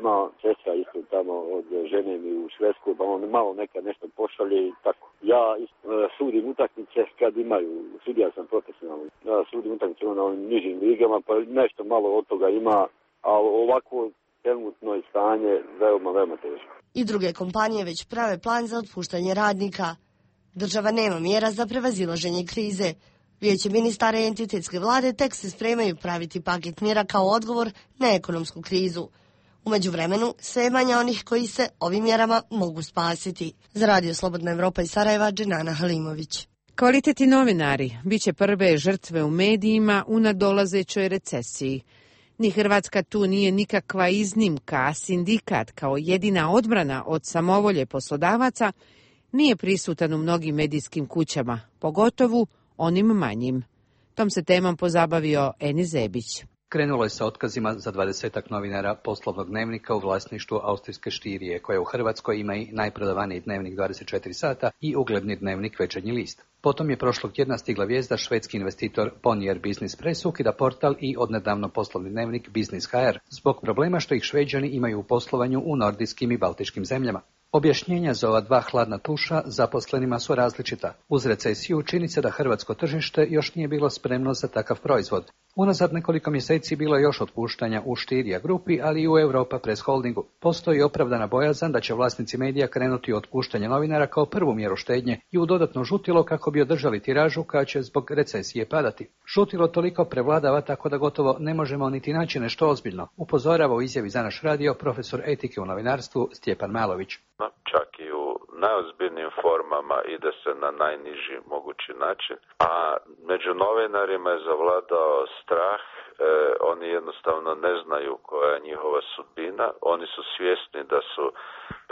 Ima sestra isto tamo od žene mi u Švedsku, pa on malo nekad nešto pošalje i tako. Ja isto, sudim utakmice kad imaju, sudija sam profesionalno, ja sudim utakmice na ovim nižim ligama, pa nešto malo od toga ima, a ovako trenutno je stanje veoma, veoma teško. I druge kompanije već prave plan za otpuštanje radnika. Država nema mjera za prevazilaženje krize. Vijeće ministara i entitetske vlade tek se spremaju praviti paket mjera kao odgovor na ekonomsku krizu. U međuvremenu, sve je manje onih koji se ovim mjerama mogu spasiti. Za Radio Slobodna Evropa iz Sarajeva, Dženana Halimović. Kvalitetni novinari bit će prve žrtve u medijima u nadolazećoj recesiji. Ni Hrvatska tu nije nikakva iznimka, a sindikat kao jedina odbrana od samovolje poslodavaca nije prisutan u mnogim medijskim kućama, pogotovo onim manjim. Tom se temom pozabavio Eni Zebić. Krenulo je sa otkazima za dvadesetak novinara Poslovnog dnevnika u vlasništvu austrijske Štirije, koja u Hrvatskoj ima i najprodavaniji dnevnik dvadeset četiri sata i ugledni dnevnik Večernji list. Potom je prošlog tjedna stigla vijest da švedski investitor Bonnier Business Press ukida portal i odnedavno poslovni dnevnik Business H R zbog problema što ih Šveđani imaju u poslovanju u nordijskim i baltičkim zemljama. Objašnjenja za ova dva hladna tuša zaposlenima su različita. Uz recesiju čini se da hrvatsko tržište još nije bilo spremno za takav proizvod. Unazad nekoliko mjeseci bilo je još otpuštanja u Štirija grupi, ali i u Europa Press Holdingu. Postoji opravdana bojazan da će vlasnici medija krenuti u otpuštanje novinara kao prvu mjeru štednje i u dodatno žutilo kako bi održali tiražu koja će zbog recesije padati. Žutilo toliko prevladava tako da gotovo ne možemo niti naći nešto ozbiljno, upozorava u izjavi za naš radio profesor etike u novinarstvu Stjepan Malović. Čak i u najozbiljnijim formama ide se na najniži mogući način, a među novinarima je zavladao strah. E, oni jednostavno ne znaju koja je njihova sudbina, oni su svjesni da su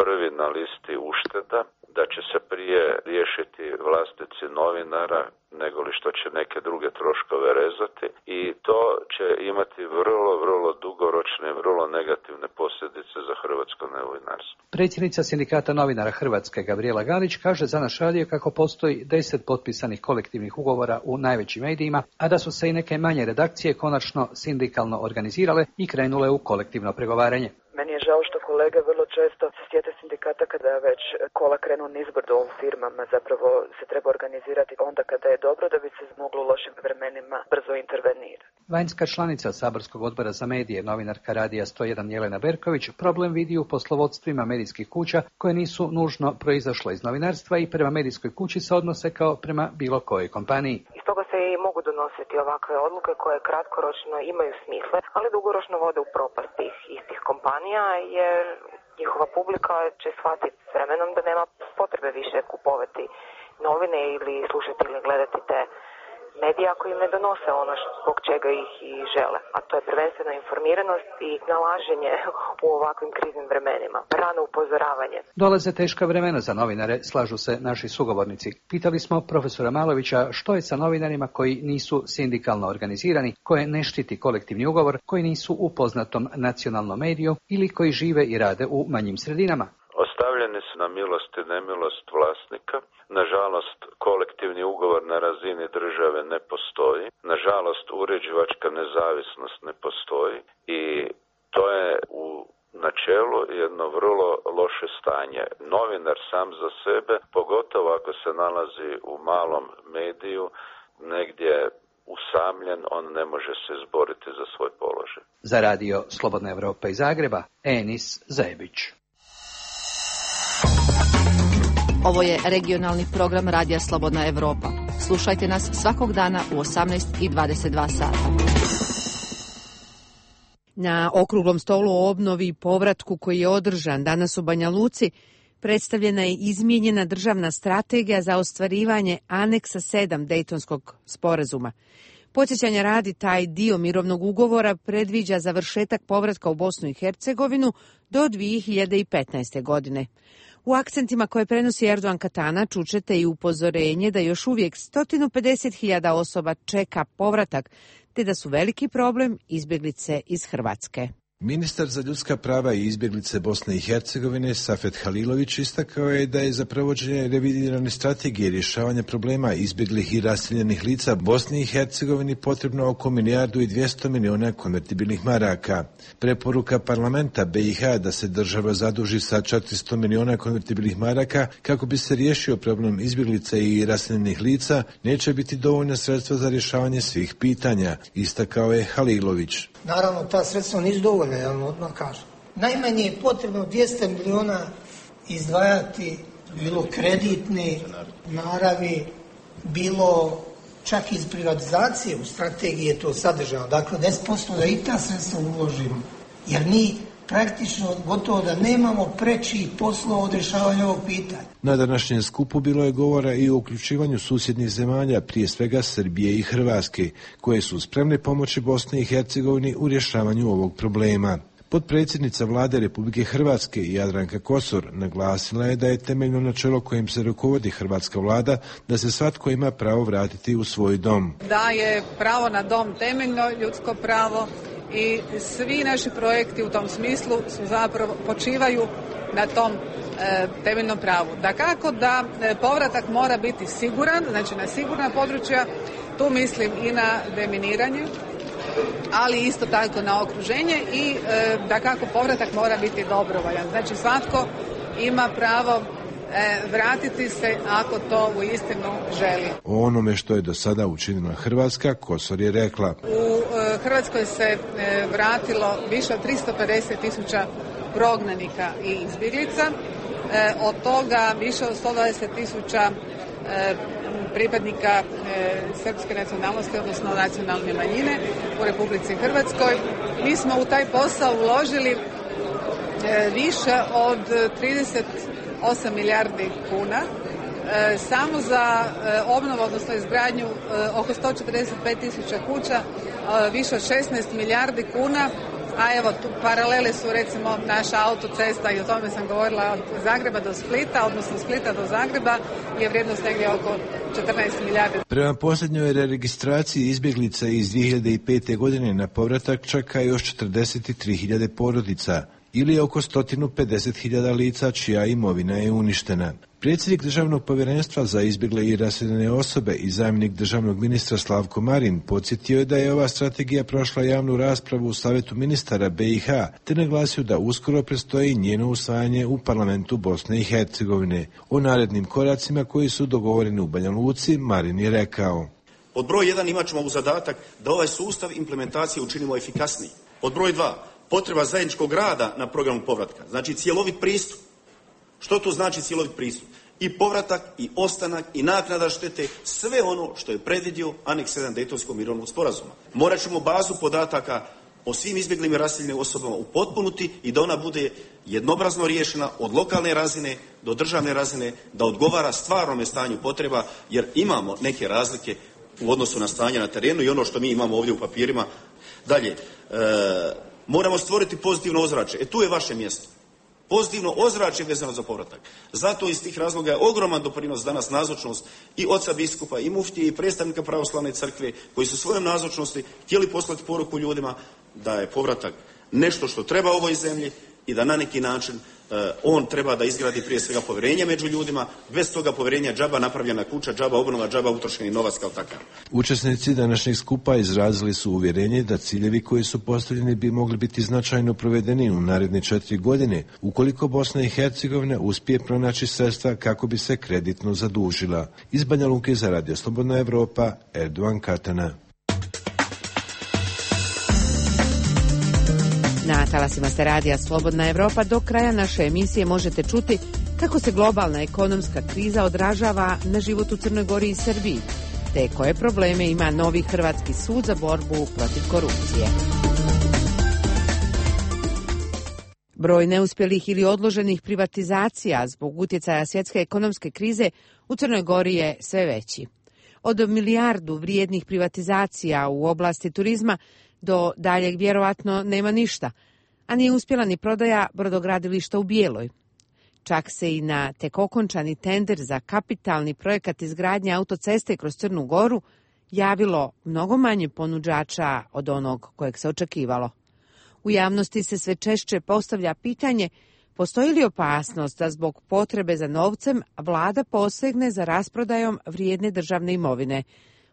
prvi na listi ušteda, da će se prije riješiti vlasnici novinara nego li što će neke druge troškove rezati i to će imati vrlo, vrlo dugoročne, vrlo negativne posljedice za hrvatsko novinarstvo. Predsjednica Sindikata novinara Hrvatske Gabrijela Galić kaže za naš radio kako postoji deset potpisanih kolektivnih ugovora u najvećim medijima, a da su se i neke manje redakcije konačno sindikalno organizirale i krenule u kolektivno pregovaranje. Meni je žao što kolege vrlo često se sjete sindikata kada već kola krenu nizbrdo u firmama, zapravo se treba organizirati onda kada je dobro da bi se moglo u lošim vremenima brzo intervenirati. Vanjska članica Saborskog odbora za medije, novinarka Radija sto jedan Jelena Berković, problem vidi u poslovodstvima medijskih kuća koje nisu nužno proizašle iz novinarstva i prema medijskoj kući se odnose kao prema bilo kojoj kompaniji. Iz toga se i mogu donositi ovakve odluke koje kratkoročno imaju smisle, ali dugoročno vode u propast tih istih kompanija, jer njihova publika će shvatiti s vremenom da nema potrebe više kupovati novine ili slušati ili gledati te medije ako im ne donose ono zbog čega ih i žele. A to je prvenstveno informiranost i nalaženje u ovakvim kriznim vremenima. Rano upozoravanje. Dolaze teška vremena za novinare, slažu se naši sugovornici. Pitali smo profesora Malovića što je sa novinarima koji nisu sindikalno organizirani, koje ne štiti kolektivni ugovor, koji nisu u poznatom nacionalnom mediju ili koji žive i rade u manjim sredinama. Ostavljeni su na milost i nemilost vlasnika. Nažalost, kolektivni ugovor na razini države ne postoji. Nažalost, uređivačka nezavisnost ne postoji i to je u znači načelu jedno vrlo loše stanje. Novinar sam za sebe, pogotovo ako se nalazi u malom mediju, negdje usamljen, on ne može se izboriti za svoj položaj. Za radio Slobodna Evropa iz Zagreba, Enis Zebić. Ovo je regionalni program Radija Slobodna Evropa. Slušajte nas svakog dana u osamnaest i dvadeset dva sata. Na okruglom stolu o obnovi i povratku koji je održan danas u Banja Luci predstavljena je izmijenjena državna strategija za ostvarivanje aneksa sedam Dejtonskog sporazuma. Podsjećanja radi, taj dio mirovnog ugovora predviđa završetak povratka u Bosnu i Hercegovinu do dvije hiljade petnaeste. godine. U akcentima koje prenosi Erdogan Katana čućete i upozorenje da još uvijek sto pedeset hiljada osoba čeka povratak, te da su veliki problem izbjeglice iz Hrvatske. Ministar za ljudska prava i izbjeglice Bosne i Hercegovine Safet Halilović istakao je da je za provođenje revidirane strategije rješavanja problema izbjeglih i raseljenih lica Bosni i Hercegovini potrebno oko milijardu i dvjesto milijuna konvertibilnih maraka. Preporuka parlamenta B i H da se država zaduži sa četiristo milijuna konvertibilnih maraka kako bi se riješio problem izbjeglica i raseljenih lica neće biti dovoljna sredstva za rješavanje svih pitanja, istakao je Halilović. Naravno, ta sredstva nisu dovoljna, ja vam odmah kažem. Najmanje je potrebno dvjesto milijuna izdvajati, bilo kreditne naravi, bilo čak iz privatizacije, u strategiji je to sadržano. Dakle, deset posto da i ta sredstva uložimo, jer mi praktično gotovo da nemamo preći poslova od rješavanja ovog pitanja. Na današnjem skupu bilo je govora i o uključivanju susjednih zemalja, prije svega Srbije i Hrvatske, koje su spremne pomoći Bosni i Hercegovini u rješavanju ovog problema. Potpredsjednica vlade Republike Hrvatske Jadranka Kosor naglasila je da je temeljno načelo kojim se rukovodi hrvatska vlada da se svatko ima pravo vratiti u svoj dom. Da je pravo na dom temeljno ljudsko pravo i svi naši projekti u tom smislu su zapravo počivaju na tom e, temeljnom pravu. Dakako da e, povratak mora biti siguran, znači na sigurna područja, tu mislim i na deminiranje, ali isto tako na okruženje i e, dakako povratak mora biti dobrovoljan. Znači svatko ima pravo e, vratiti se ako to uistinu želi. O onome što je do sada učinila Hrvatska, Kosor je rekla. U e, Hrvatskoj se e, vratilo više od tristo pedeset tisuća prognanika i izbjeglica, e, od toga više od sto dvadeset tisuća e, pripadnika e, srpske nacionalnosti, odnosno nacionalne manjine u Republici Hrvatskoj. Mi smo u taj posao uložili e, više od trideset osam milijardi kuna. E, samo za e, obnovu, odnosno izgradnju e, oko sto četrdeset pet tisuća kuća, e, više od šesnaest milijardi kuna. A evo, tu paralele su recimo naša autocesta, i o tome sam govorila, od Zagreba do Splita, odnosno Splita do Zagreba, je vrijednost negdje oko četrnaest milijardi. Prema posljednjoj registraciji izbjeglica iz dvije hiljade pete. godine na povratak čeka još četrdeset tri hiljade porodica, ili oko sto pedeset hiljada lica čija imovina je uništena. Predsjednik Državnog povjerenstva za izbjegle i raseljene osobe i zamjenik državnog ministra Slavko Marin podsjetio je da je ova strategija prošla javnu raspravu u Savjetu ministara B i H, te naglasio da uskoro predstoji njeno usvajanje u parlamentu Bosne i Hercegovine. O narednim koracima koji su dogovoreni u Banja Luci, Marin je rekao. Pod broj jedan imat ćemo u zadatak da ovaj sustav implementacije učinimo efikasniji. Pod broj dva, potreba zajedničkog rada na programu povratka, znači cjelovit pristup. Što to znači cjelovit pristup? I povratak, i ostanak, i naknada štete, sve ono što je predvidio aneks sedam Dejtonskog mirovnog sporazuma. Morat ćemo bazu podataka o svim izbjeglim i raseljenim osobama upotpunuti i da ona bude jednobrazno riješena od lokalne razine do državne razine, da odgovara stvarnome stanju potreba, jer imamo neke razlike u odnosu na stanje na terenu i ono što mi imamo ovdje u papirima. Dalje, e, moramo stvoriti pozitivno ozračje. E tu je vaše mjesto. Pozitivno ozračje vezano za povratak. Zato iz tih razloga je ogroman doprinos danas nazočnost i oca biskupa, i muftije, i predstavnika pravoslavne crkve, koji su svojom nazočnosti htjeli poslati poruku ljudima da je povratak nešto što treba ovoj zemlji i da na neki način On treba da izgradi prije svega povjerenje među ljudima, bez toga povjerenja džaba napravljena kuća, džaba obnova, džaba utrošeni novac kao takav. Učesnici današnjeg skupa izrazili su uvjerenje da ciljevi koji su postavljeni bi mogli biti značajno provedeni u naredne četiri godine, ukoliko Bosna i Hercegovina uspije pronaći sredstva kako bi se kreditno zadužila. Iz Banja Luke za Radio Slobodna Evropa, Erdovan Katana. Na talasima ste radija Slobodna Evropa. Do kraja naše emisije možete čuti kako se globalna ekonomska kriza odražava na život u Crnoj Gori i Srbiji, te koje probleme ima novi Hrvatski sud za borbu protiv korupcije. Broj neuspjelih ili odloženih privatizacija zbog utjecaja svjetske ekonomske krize u Crnoj Gori je sve veći. Od milijardu vrijednih privatizacija u oblasti turizma do daljeg vjerovatno nema ništa, a nije uspjela ni prodaja brodogradilišta u Bijeloj. Čak se i na tek okončani tender za kapitalni projekat izgradnje autoceste kroz Crnu Goru javilo mnogo manje ponuđača od onog kojeg se očekivalo. U javnosti se sve češće postavlja pitanje postoji li opasnost da zbog potrebe za novcem vlada posegne za rasprodajom vrijedne državne imovine.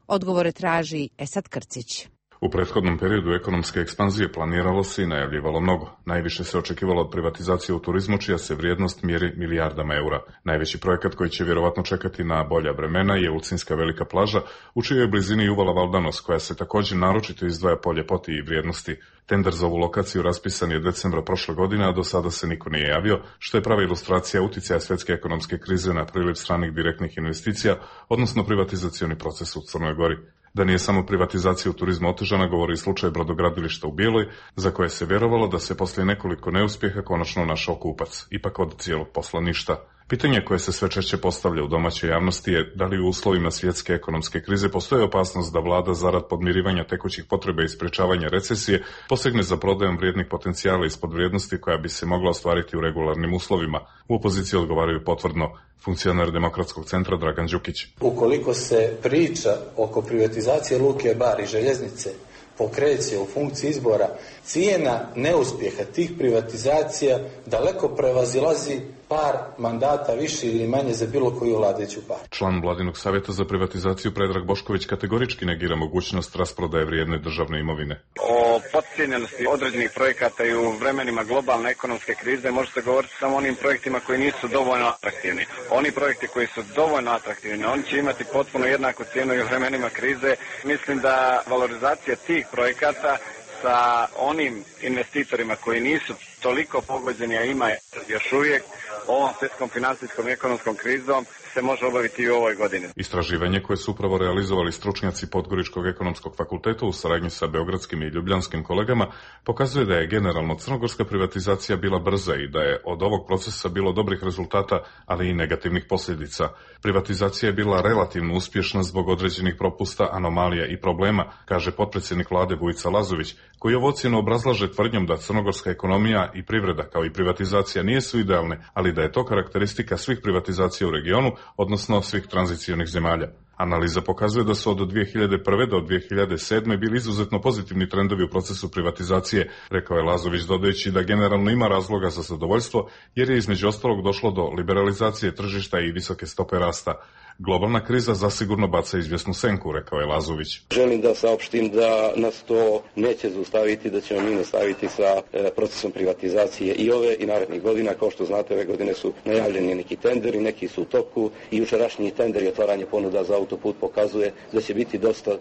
Odgovore traži Esad Krcić. U prethodnom periodu ekonomske ekspanzije planiralo se i najavljivalo mnogo. Najviše se očekivalo od privatizacije u turizmu, čija se vrijednost mjeri milijardama eura. Najveći projekat koji će vjerovatno čekati na bolja vremena je Ulcinska velika plaža, u čijoj blizini je uvala Valdanos, koja se također naročito izdvaja po ljepoti i vrijednosti. Tender za ovu lokaciju raspisan je decembra prošle godine, a do sada se niko nije javio, što je prava ilustracija utjecaja svjetske ekonomske krize na priliv stranih direktnih investicija, odnosno privatizacioni proces u Crnoj Gori. Da nije samo privatizacija u turizmu otežana, govori i slučaj brodogradilišta u Bijeloj, za koje se vjerovalo da se poslije nekoliko neuspjeha konačno našao kupac. Ipak od cijelog posla ništa. Pitanje koje se sve češće postavlja u domaćoj javnosti je da li u uslovima svjetske ekonomske krize postoji opasnost da vlada zarad podmirivanja tekućih potreba i sprečavanja recesije posegne za prodajom vrijednih potencijala ispod vrijednosti koja bi se mogla ostvariti u regularnim uslovima. U opoziciji odgovaraju potvrdno funkcionar Demokratskog centra Dragan Đukić. Ukoliko se priča oko privatizacije Luke Bar i željeznice pokreće u funkciji izbora, cijena neuspjeha tih privatizacija daleko prevazilazi par mandata više ili manje za bilo koju vladajuću partiju. Član Vladinog savjeta za privatizaciju Predrag Bošković kategorički negira mogućnost rasprodaje vrijedne državne imovine. O podcijenjenosti određenih projekata i u vremenima globalne ekonomske krize može se govoriti samo o onim projektima koji nisu dovoljno atraktivni. Oni projekti koji su dovoljno atraktivni, oni će imati potpuno jednaku cijenu i u vremenima krize. Mislim da valorizacija tih projekata sa onim investitorima koji nisu toliko pogođeni, a ima još uvijek ovom svjetskom financijskom i ekonomskom krizom, se može obaviti i u ovoj godini. Istraživanje koje su upravo realizovali stručnjaci Podgoričkog ekonomskog fakulteta u saradnji sa beogradskim i ljubljanskim kolegama pokazuje da je generalno crnogorska privatizacija bila brza i da je od ovog procesa bilo dobrih rezultata, ali i negativnih posljedica. Privatizacija je bila relativno uspješna zbog određenih propusta, anomalija i problema, kaže potpredsjednik vlade Vujica Lazović, koji ovo ocjenu obrazlaže tvrdnjom da crnogorska ekonomija i privreda kao i privatizacija nisu idealne, ali da je to karakteristika svih privatizacija u regionu, odnosno svih tranzicionih zemalja. Analiza pokazuje da su od dvije hiljade prve do dvije hiljade sedme bili izuzetno pozitivni trendovi u procesu privatizacije, rekao je Lazović, dodajući da generalno ima razloga za zadovoljstvo jer je između ostalog došlo do liberalizacije tržišta i visoke stope rasta. Globalna kriza zasigurno baca izvjesnu senku, rekao je Lazović. Želim da saopštim da nas to neće zaustaviti, da ćemo mi nastaviti sa procesom privatizacije i ove i narednih godina. Kao što znate, ove godine su najavljeni neki tenderi, neki su u toku i jučerašnji tender i otvaranje ponuda za autoput pokazuje da će biti dosta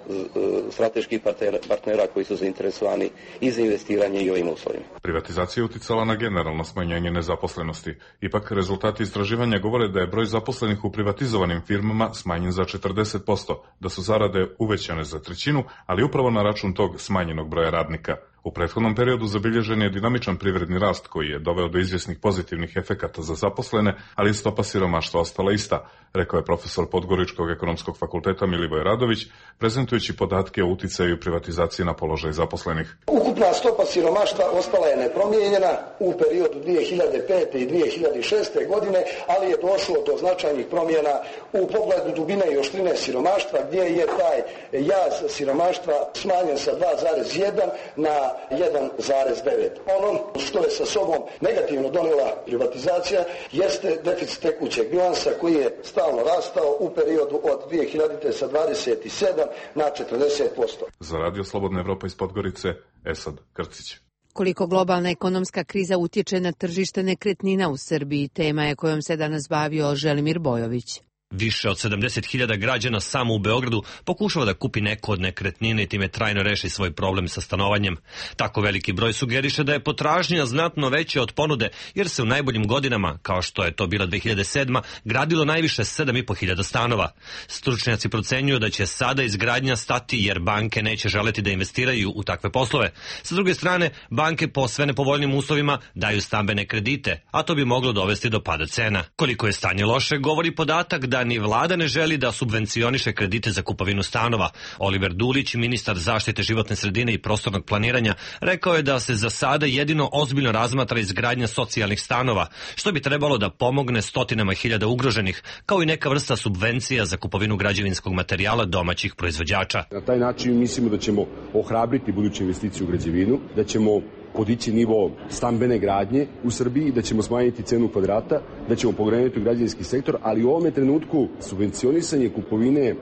strateških partnera koji su zainteresovani i za investiranje i ovim uslovima. Privatizacija je uticala na generalno smanjenje nezaposlenosti. Ipak rezultati istraživanja govore da je broj zaposlenih u privatizovanim firmama smanjen za četrdeset posto, da su zarade uvećane za trećinu, ali upravo na račun tog smanjenog broja radnika. U prethodnom periodu zabilježen je dinamičan privredni rast koji je doveo do izvjesnih pozitivnih efekata za zaposlene, ali stopa siromaštva ostala ista, rekao je profesor Podgoričkog ekonomskog fakulteta Milivoj Radović, prezentujući podatke o uticaju privatizacije na položaj zaposlenih. Ukupna stopa siromaštva ostala je nepromijenjena u periodu dvije hiljade pete i dvije hiljade šeste godine, ali je došlo do značajnih promjena u pogledu dubine i oštrine siromaštva, gdje je taj jaz siromaštva smanjen sa dva zarez jedan na jedan zarez devet. Ono što je sa sobom negativno donijela privatizacija jeste deficit tekućeg bilansa koji je stalno rastao u periodu od dvije hiljadite sa dvadeset sedam na četrdeset posto. Za Radio Slobodna Evropa iz Podgorice, Esad Krcić. Koliko globalna ekonomska kriza utječe na tržište nekretnina u Srbiji, tema je kojom se danas bavio Želimir Bojović. Više od sedamdeset hiljada građana samo u Beogradu pokušava da kupi neku od nekretnine i time trajno reši svoj problem sa stanovanjem. Tako veliki broj sugeriše da je potražnja znatno veća od ponude, jer se u najboljim godinama, kao što je to bila dve hiljade sedma, gradilo najviše sedam i po hiljada stanova. Stručnjaci procenjuju da će sada izgradnja stati jer banke neće želeti da investiraju u takve poslove. Sa druge strane, banke po sve nepovoljnim uslovima daju stambene kredite, a to bi moglo dovesti do pada cena. Koliko je stanje loše, govori podatak da ni vlada ne želi da subvencioniše kredite za kupovinu stanova. Oliver Dulić, ministar zaštite životne sredine i prostornog planiranja, rekao je da se za sada jedino ozbiljno razmatra izgradnja socijalnih stanova, što bi trebalo da pomogne stotinama hiljada ugroženih, kao i neka vrsta subvencija za kupovinu građevinskog materijala domaćih proizvođača. Na taj način mislimo da ćemo ohrabriti buduće investicije u građevinu, da ćemo podići nivo stambene gradnje u Srbiji, da ćemo smanjiti cenu kvadrata, da ćemo pokrenuti građevinski sektor, ali u ovome trenutku subvencionisanje kupovine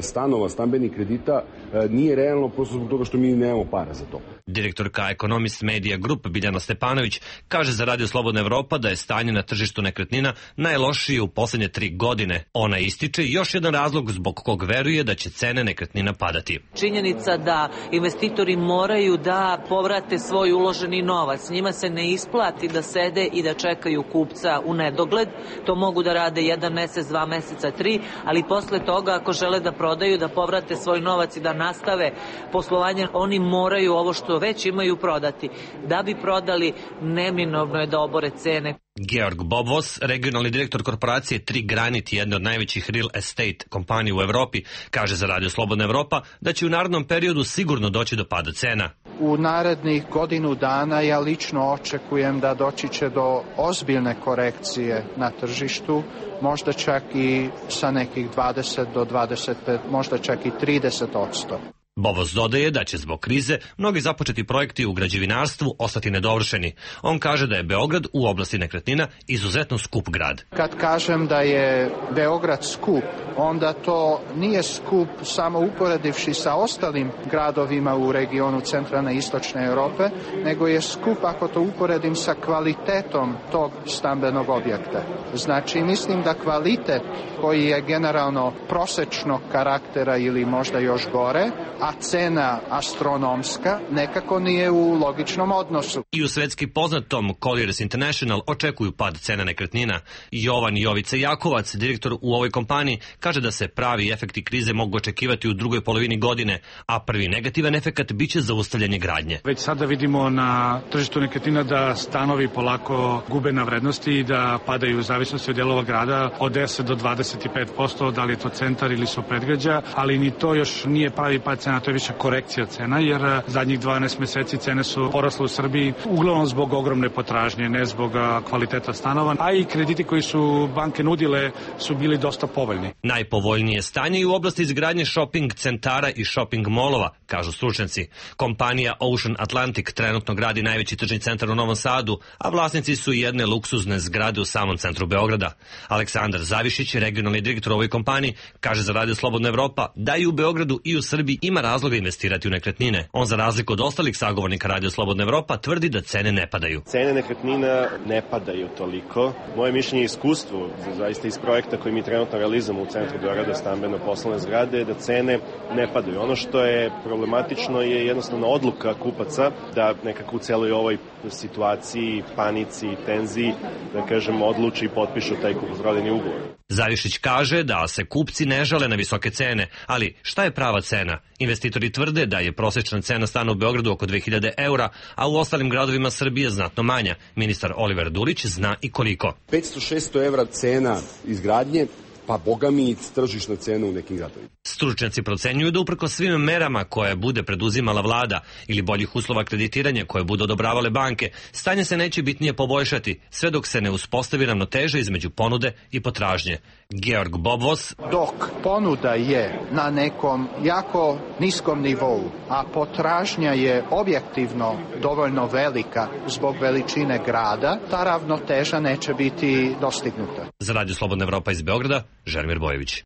stanova, stambenih kredita nije realno prosto zbog toga što mi nemamo para za to. Direktorka Economist Media Group Biljana Stepanović kaže za Radio Slobodna Evropa da je stanje na tržištu nekretnina najlošije u posljednje tri godine. Ona ističe još jedan razlog zbog kog veruje da će cene nekretnina padati. Činjenica da investitori moraju da povrate svoj uloženi novac. Njima se ne isplati da sede i da čekaju kupca u nedogled. To mogu da rade jedan mesec, dva meseca, tri, ali posle toga ako žele da prodaju, da povrate svoj novac i da nastave poslovanje, oni moraju ovo što već imaju prodati. Da bi prodali, neminovno je da obore cene. Georg Bobvos, regionalni direktor korporacije Tri Granit, jedne od najvećih real estate kompanija u Evropi, kaže za Radio Slobodna Evropa da će u narednom periodu sigurno doći do pada cena. U narednih godinu dana ja lično očekujem da doći će do ozbiljne korekcije na tržištu, možda čak i sa nekih dvadeset do dvadeset pet, možda čak i trideset odsto. Bobos dodaje da će zbog krize mnogi započeti projekti u građevinarstvu ostati nedovršeni. On kaže da je Beograd u oblasti nekretnina izuzetno skup grad. Kad kažem da je Beograd skup, onda to nije skup samo uporedivši sa ostalim gradovima u regionu centralne i istočne Europe, nego je skup ako to uporedim sa kvalitetom tog stambenog objekta. Znači, mislim da kvalitet koji je generalno prosečnog karaktera ili možda još gore, a cena astronomska, nekako nije u logičnom odnosu. I u svetski poznatom Colliers International očekuju pad cena nekretnina. Jovan Jovica Jakovac, direktor u ovoj kompaniji, kaže da se pravi efekti krize mogu očekivati u drugoj polovini godine, a prvi negativan efekat biće zaustavljanje gradnje. Već sada vidimo na tržištu nekretnina da stanovi polako gube na vrednosti i da padaju u zavisnosti od dijelova grada od deset do dvadeset pet posto, da li je to centar ili su predgrađa, ali ni to još nije pravi pad cena, to je više korekcija cena, jer zadnjih dvanaest meseci cene su porasle u Srbiji uglavnom zbog ogromne potražnje, ne zbog kvaliteta stanova, a i krediti koji su banke nudile su bili dosta povoljni. Najpovoljnije stanje i u oblasti izgradnje shopping centara i shopping molova, kažu stručnjaci. Kompanija Ocean Atlantic trenutno gradi najveći tržni centar u Novom Sadu, a vlasnici su jedne luksuzne zgrade u samom centru Beograda. Aleksandar Zavišić, regionalni direktor u ovoj kompaniji, kaže za Radio Slobodna Evropa da i u Beogradu i u Srbiji ima razloga investirati u nekretnine. On za razliku od ostalih sagovornika Radio Slobodna Evropa tvrdi da cene ne padaju. Cene nekretnina ne padaju toliko. Moje mišljenje i iskustvo, zaista iz projekta koji mi trenutno realizujemo u centru Beograda, stambeno poslovne zgrade, da cene ne padaju. Ono što je problematično je jednostavno odluka kupaca da nekako u celoj ovoj situaciji, panici, tenziji, da kažem, odluči i potpišu taj kupoprodajni ugovor. Zavišić kaže da se kupci ne žale na visoke cene, ali šta je prava cena? Investitori tvrde da je prosječna cena stana u Beogradu oko dve hiljade eura, a u ostalim gradovima Srbije znatno manja. Ministar Oliver Dulić zna i koliko. petsto do šesto evra cena izgradnje pa boga mi i tržišna cena u nekim gradovima. Stručnjaci procenjuju da uprko svim merama koje bude preduzimala vlada ili boljih uslova kreditiranja koje budu odobravale banke, stanje se neće bitnije poboljšati sve dok se ne uspostavi ravnoteža između ponude i potražnje. Georg Bobvos: dok ponuda je na nekom jako niskom nivou, a potražnja je objektivno dovoljno velika zbog veličine grada, ta ravnoteža neće biti dostignuta. Za Radio Slobodna Evropa iz Beograda, Želimir Bojević.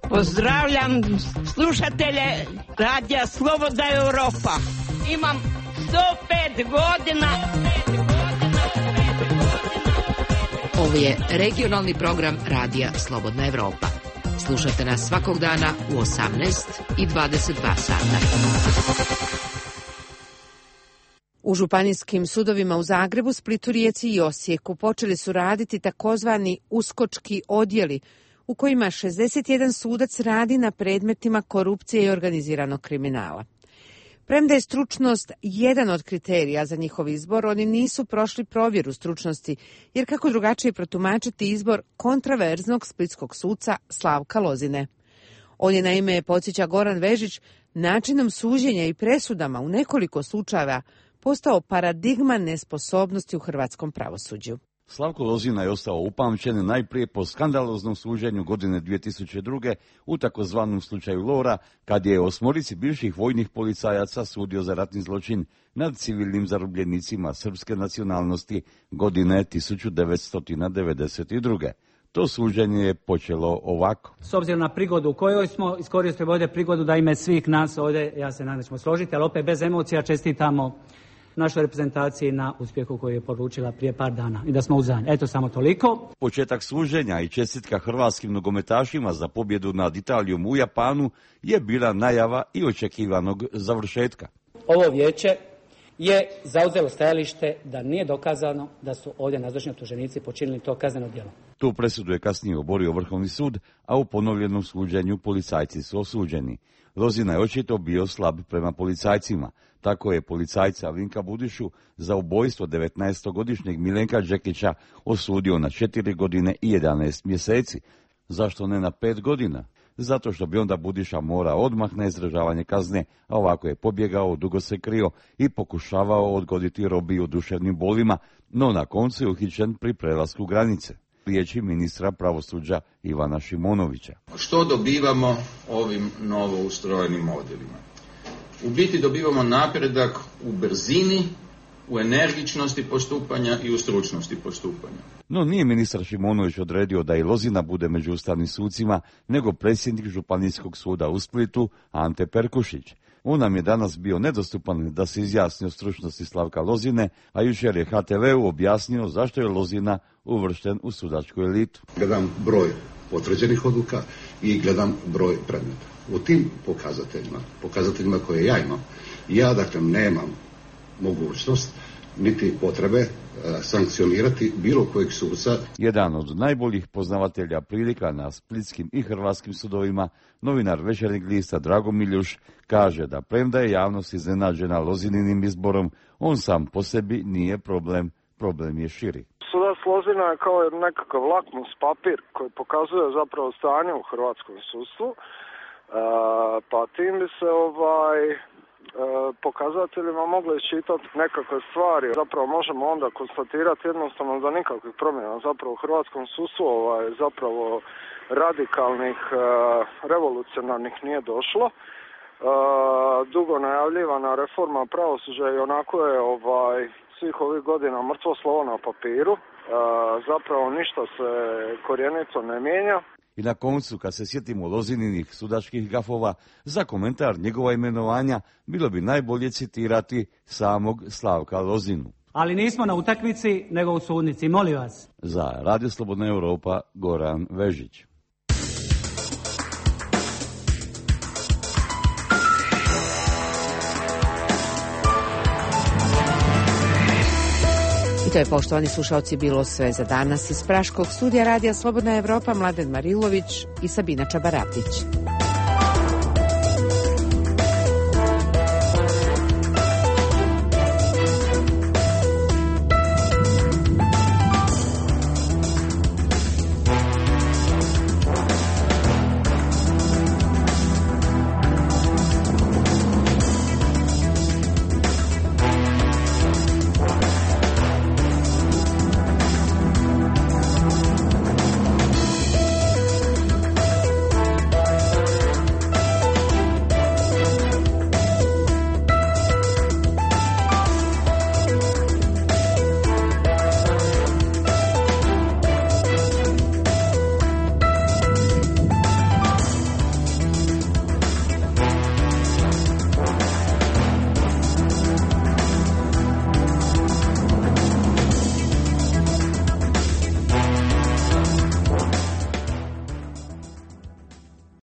Pozdravljam slušatelje Radija Slobodna Evropa. Imam sto pet godina. Ovo je regionalni program Radija Slobodna Evropa. Slušajte nas svakog dana u osamnaest i dvadeset dva sata. U županijskim sudovima u Zagrebu, Splitu, Rijeci i Osijeku počeli su raditi takozvani uskočki odjeli, u kojima šezdeset jedan sudac radi na predmetima korupcije i organiziranog kriminala. Premda je stručnost jedan od kriterija za njihov izbor, oni nisu prošli provjeru stručnosti, jer kako drugačije protumačiti izbor kontraverznog splitskog suca Slavka Lozine. On je, naime, podsjeća Goran Vežić, načinom suđenja i presudama u nekoliko slučajeva postao paradigma nesposobnosti u hrvatskom pravosuđu. Slavko Lozina je ostao upamćen najprije po skandaloznom suđenju godine dvije tisuće druge u takozvanom slučaju Lora, kad je osmorici bivših vojnih policajaca sudio za ratni zločin nad civilnim zarobljenicima srpske nacionalnosti godine tisuću devetsto devedeset druge. To suđenje je počelo ovako. S obzirom na prigodu u kojoj smo, iskoristili ovdje prigodu da ime svih nas ovdje, ja se nadam ćemo složiti, ali opet bez emocija čestitamo našoj reprezentaciji na uspjehu koju je poručila prije par dana i da smo uzadnji. Eto, samo toliko. Početak suđenja i čestitka hrvatskim nogometašima za pobjedu nad Italijom u Japanu je bila najava i očekivanog završetka. Ovo vijeće je zauzelo stajalište da nije dokazano da su ovdje nazočni optuženici počinili to kazneno djelo. Tu presudu je kasnije oborio Vrhovni sud, a u ponovljenom suđenju policajci su osuđeni. Lozina je očito bio slab prema policajcima. Tako je policajca Vinka Budišu za ubojstvo devetnaestogodišnjeg Milenka Đekića osudio na četiri godine i jedanaest mjeseci. Zašto ne na pet godina? Zato što bi onda Budiša morao odmah na izdržavanje kazne, a ovako je pobjegao, dugo se krio i pokušavao odgoditi robiju duševnim bolima, no na koncu je uhićen pri prelasku granice. Riječi ministra pravosuđa Ivana Šimonovića. Što dobivamo ovim novo ustrojenim odjelima? U biti dobivamo napredak u brzini, u energičnosti postupanja i u stručnosti postupanja. No nije ministar Šimonović odredio da i Lozina bude među ustavnim sucima, nego predsjednik Županijskog suda u Splitu Ante Perkušić. On nam je danas bio nedostupan da se izjasni o stručnosti Slavka Lozine, a jučer je ha te veu objasnio zašto je Lozina uvršten u sudačku elitu. Gledam broj potvrđenih odluka i gledam broj predmeta. U tim pokazateljima, pokazateljima koje ja imam, ja dakle nemam mogućnost niti potrebe e, sankcionirati bilo kojeg suca. Jedan od najboljih poznavatelja prilika na splitskim i hrvatskim sudovima, novinar Večernjeg lista Drago Miljuš, kaže da premda je javnost iznenađena Lozininim izborom, on sam po sebi nije problem, problem je širi. Sudac Lozina je kao nekakav lakmus papir koji pokazuje zapravo stanje u hrvatskom sudstvu, e, pa tim bi se ovaj pokazateljima mogli iščitati nekakve stvari. Zapravo možemo onda konstatirati jednostavno da nikakvih promjena zapravo u hrvatskom sudstvu ovaj, zapravo radikalnih, revolucionarnih nije došlo. Dugo najavljivana reforma pravosuđa i onako je ovaj, svih ovih godina mrtvo slovo na papiru. Zapravo ništa se korijenito ne mijenja. I na koncu, kad se sjetimo Lozininih sudačkih gafova, za komentar njegova imenovanja bilo bi najbolje citirati samog Slavka Lozinu. Ali nismo na utakmici, nego u sudnici, molim vas. Za Radio Slobodna Europa, Goran Vežić. I to je, poštovani slušalci, bilo sve za danas iz Praškog studija Radija Slobodna Evropa. Mladen Marilović i Sabina Čabaratić.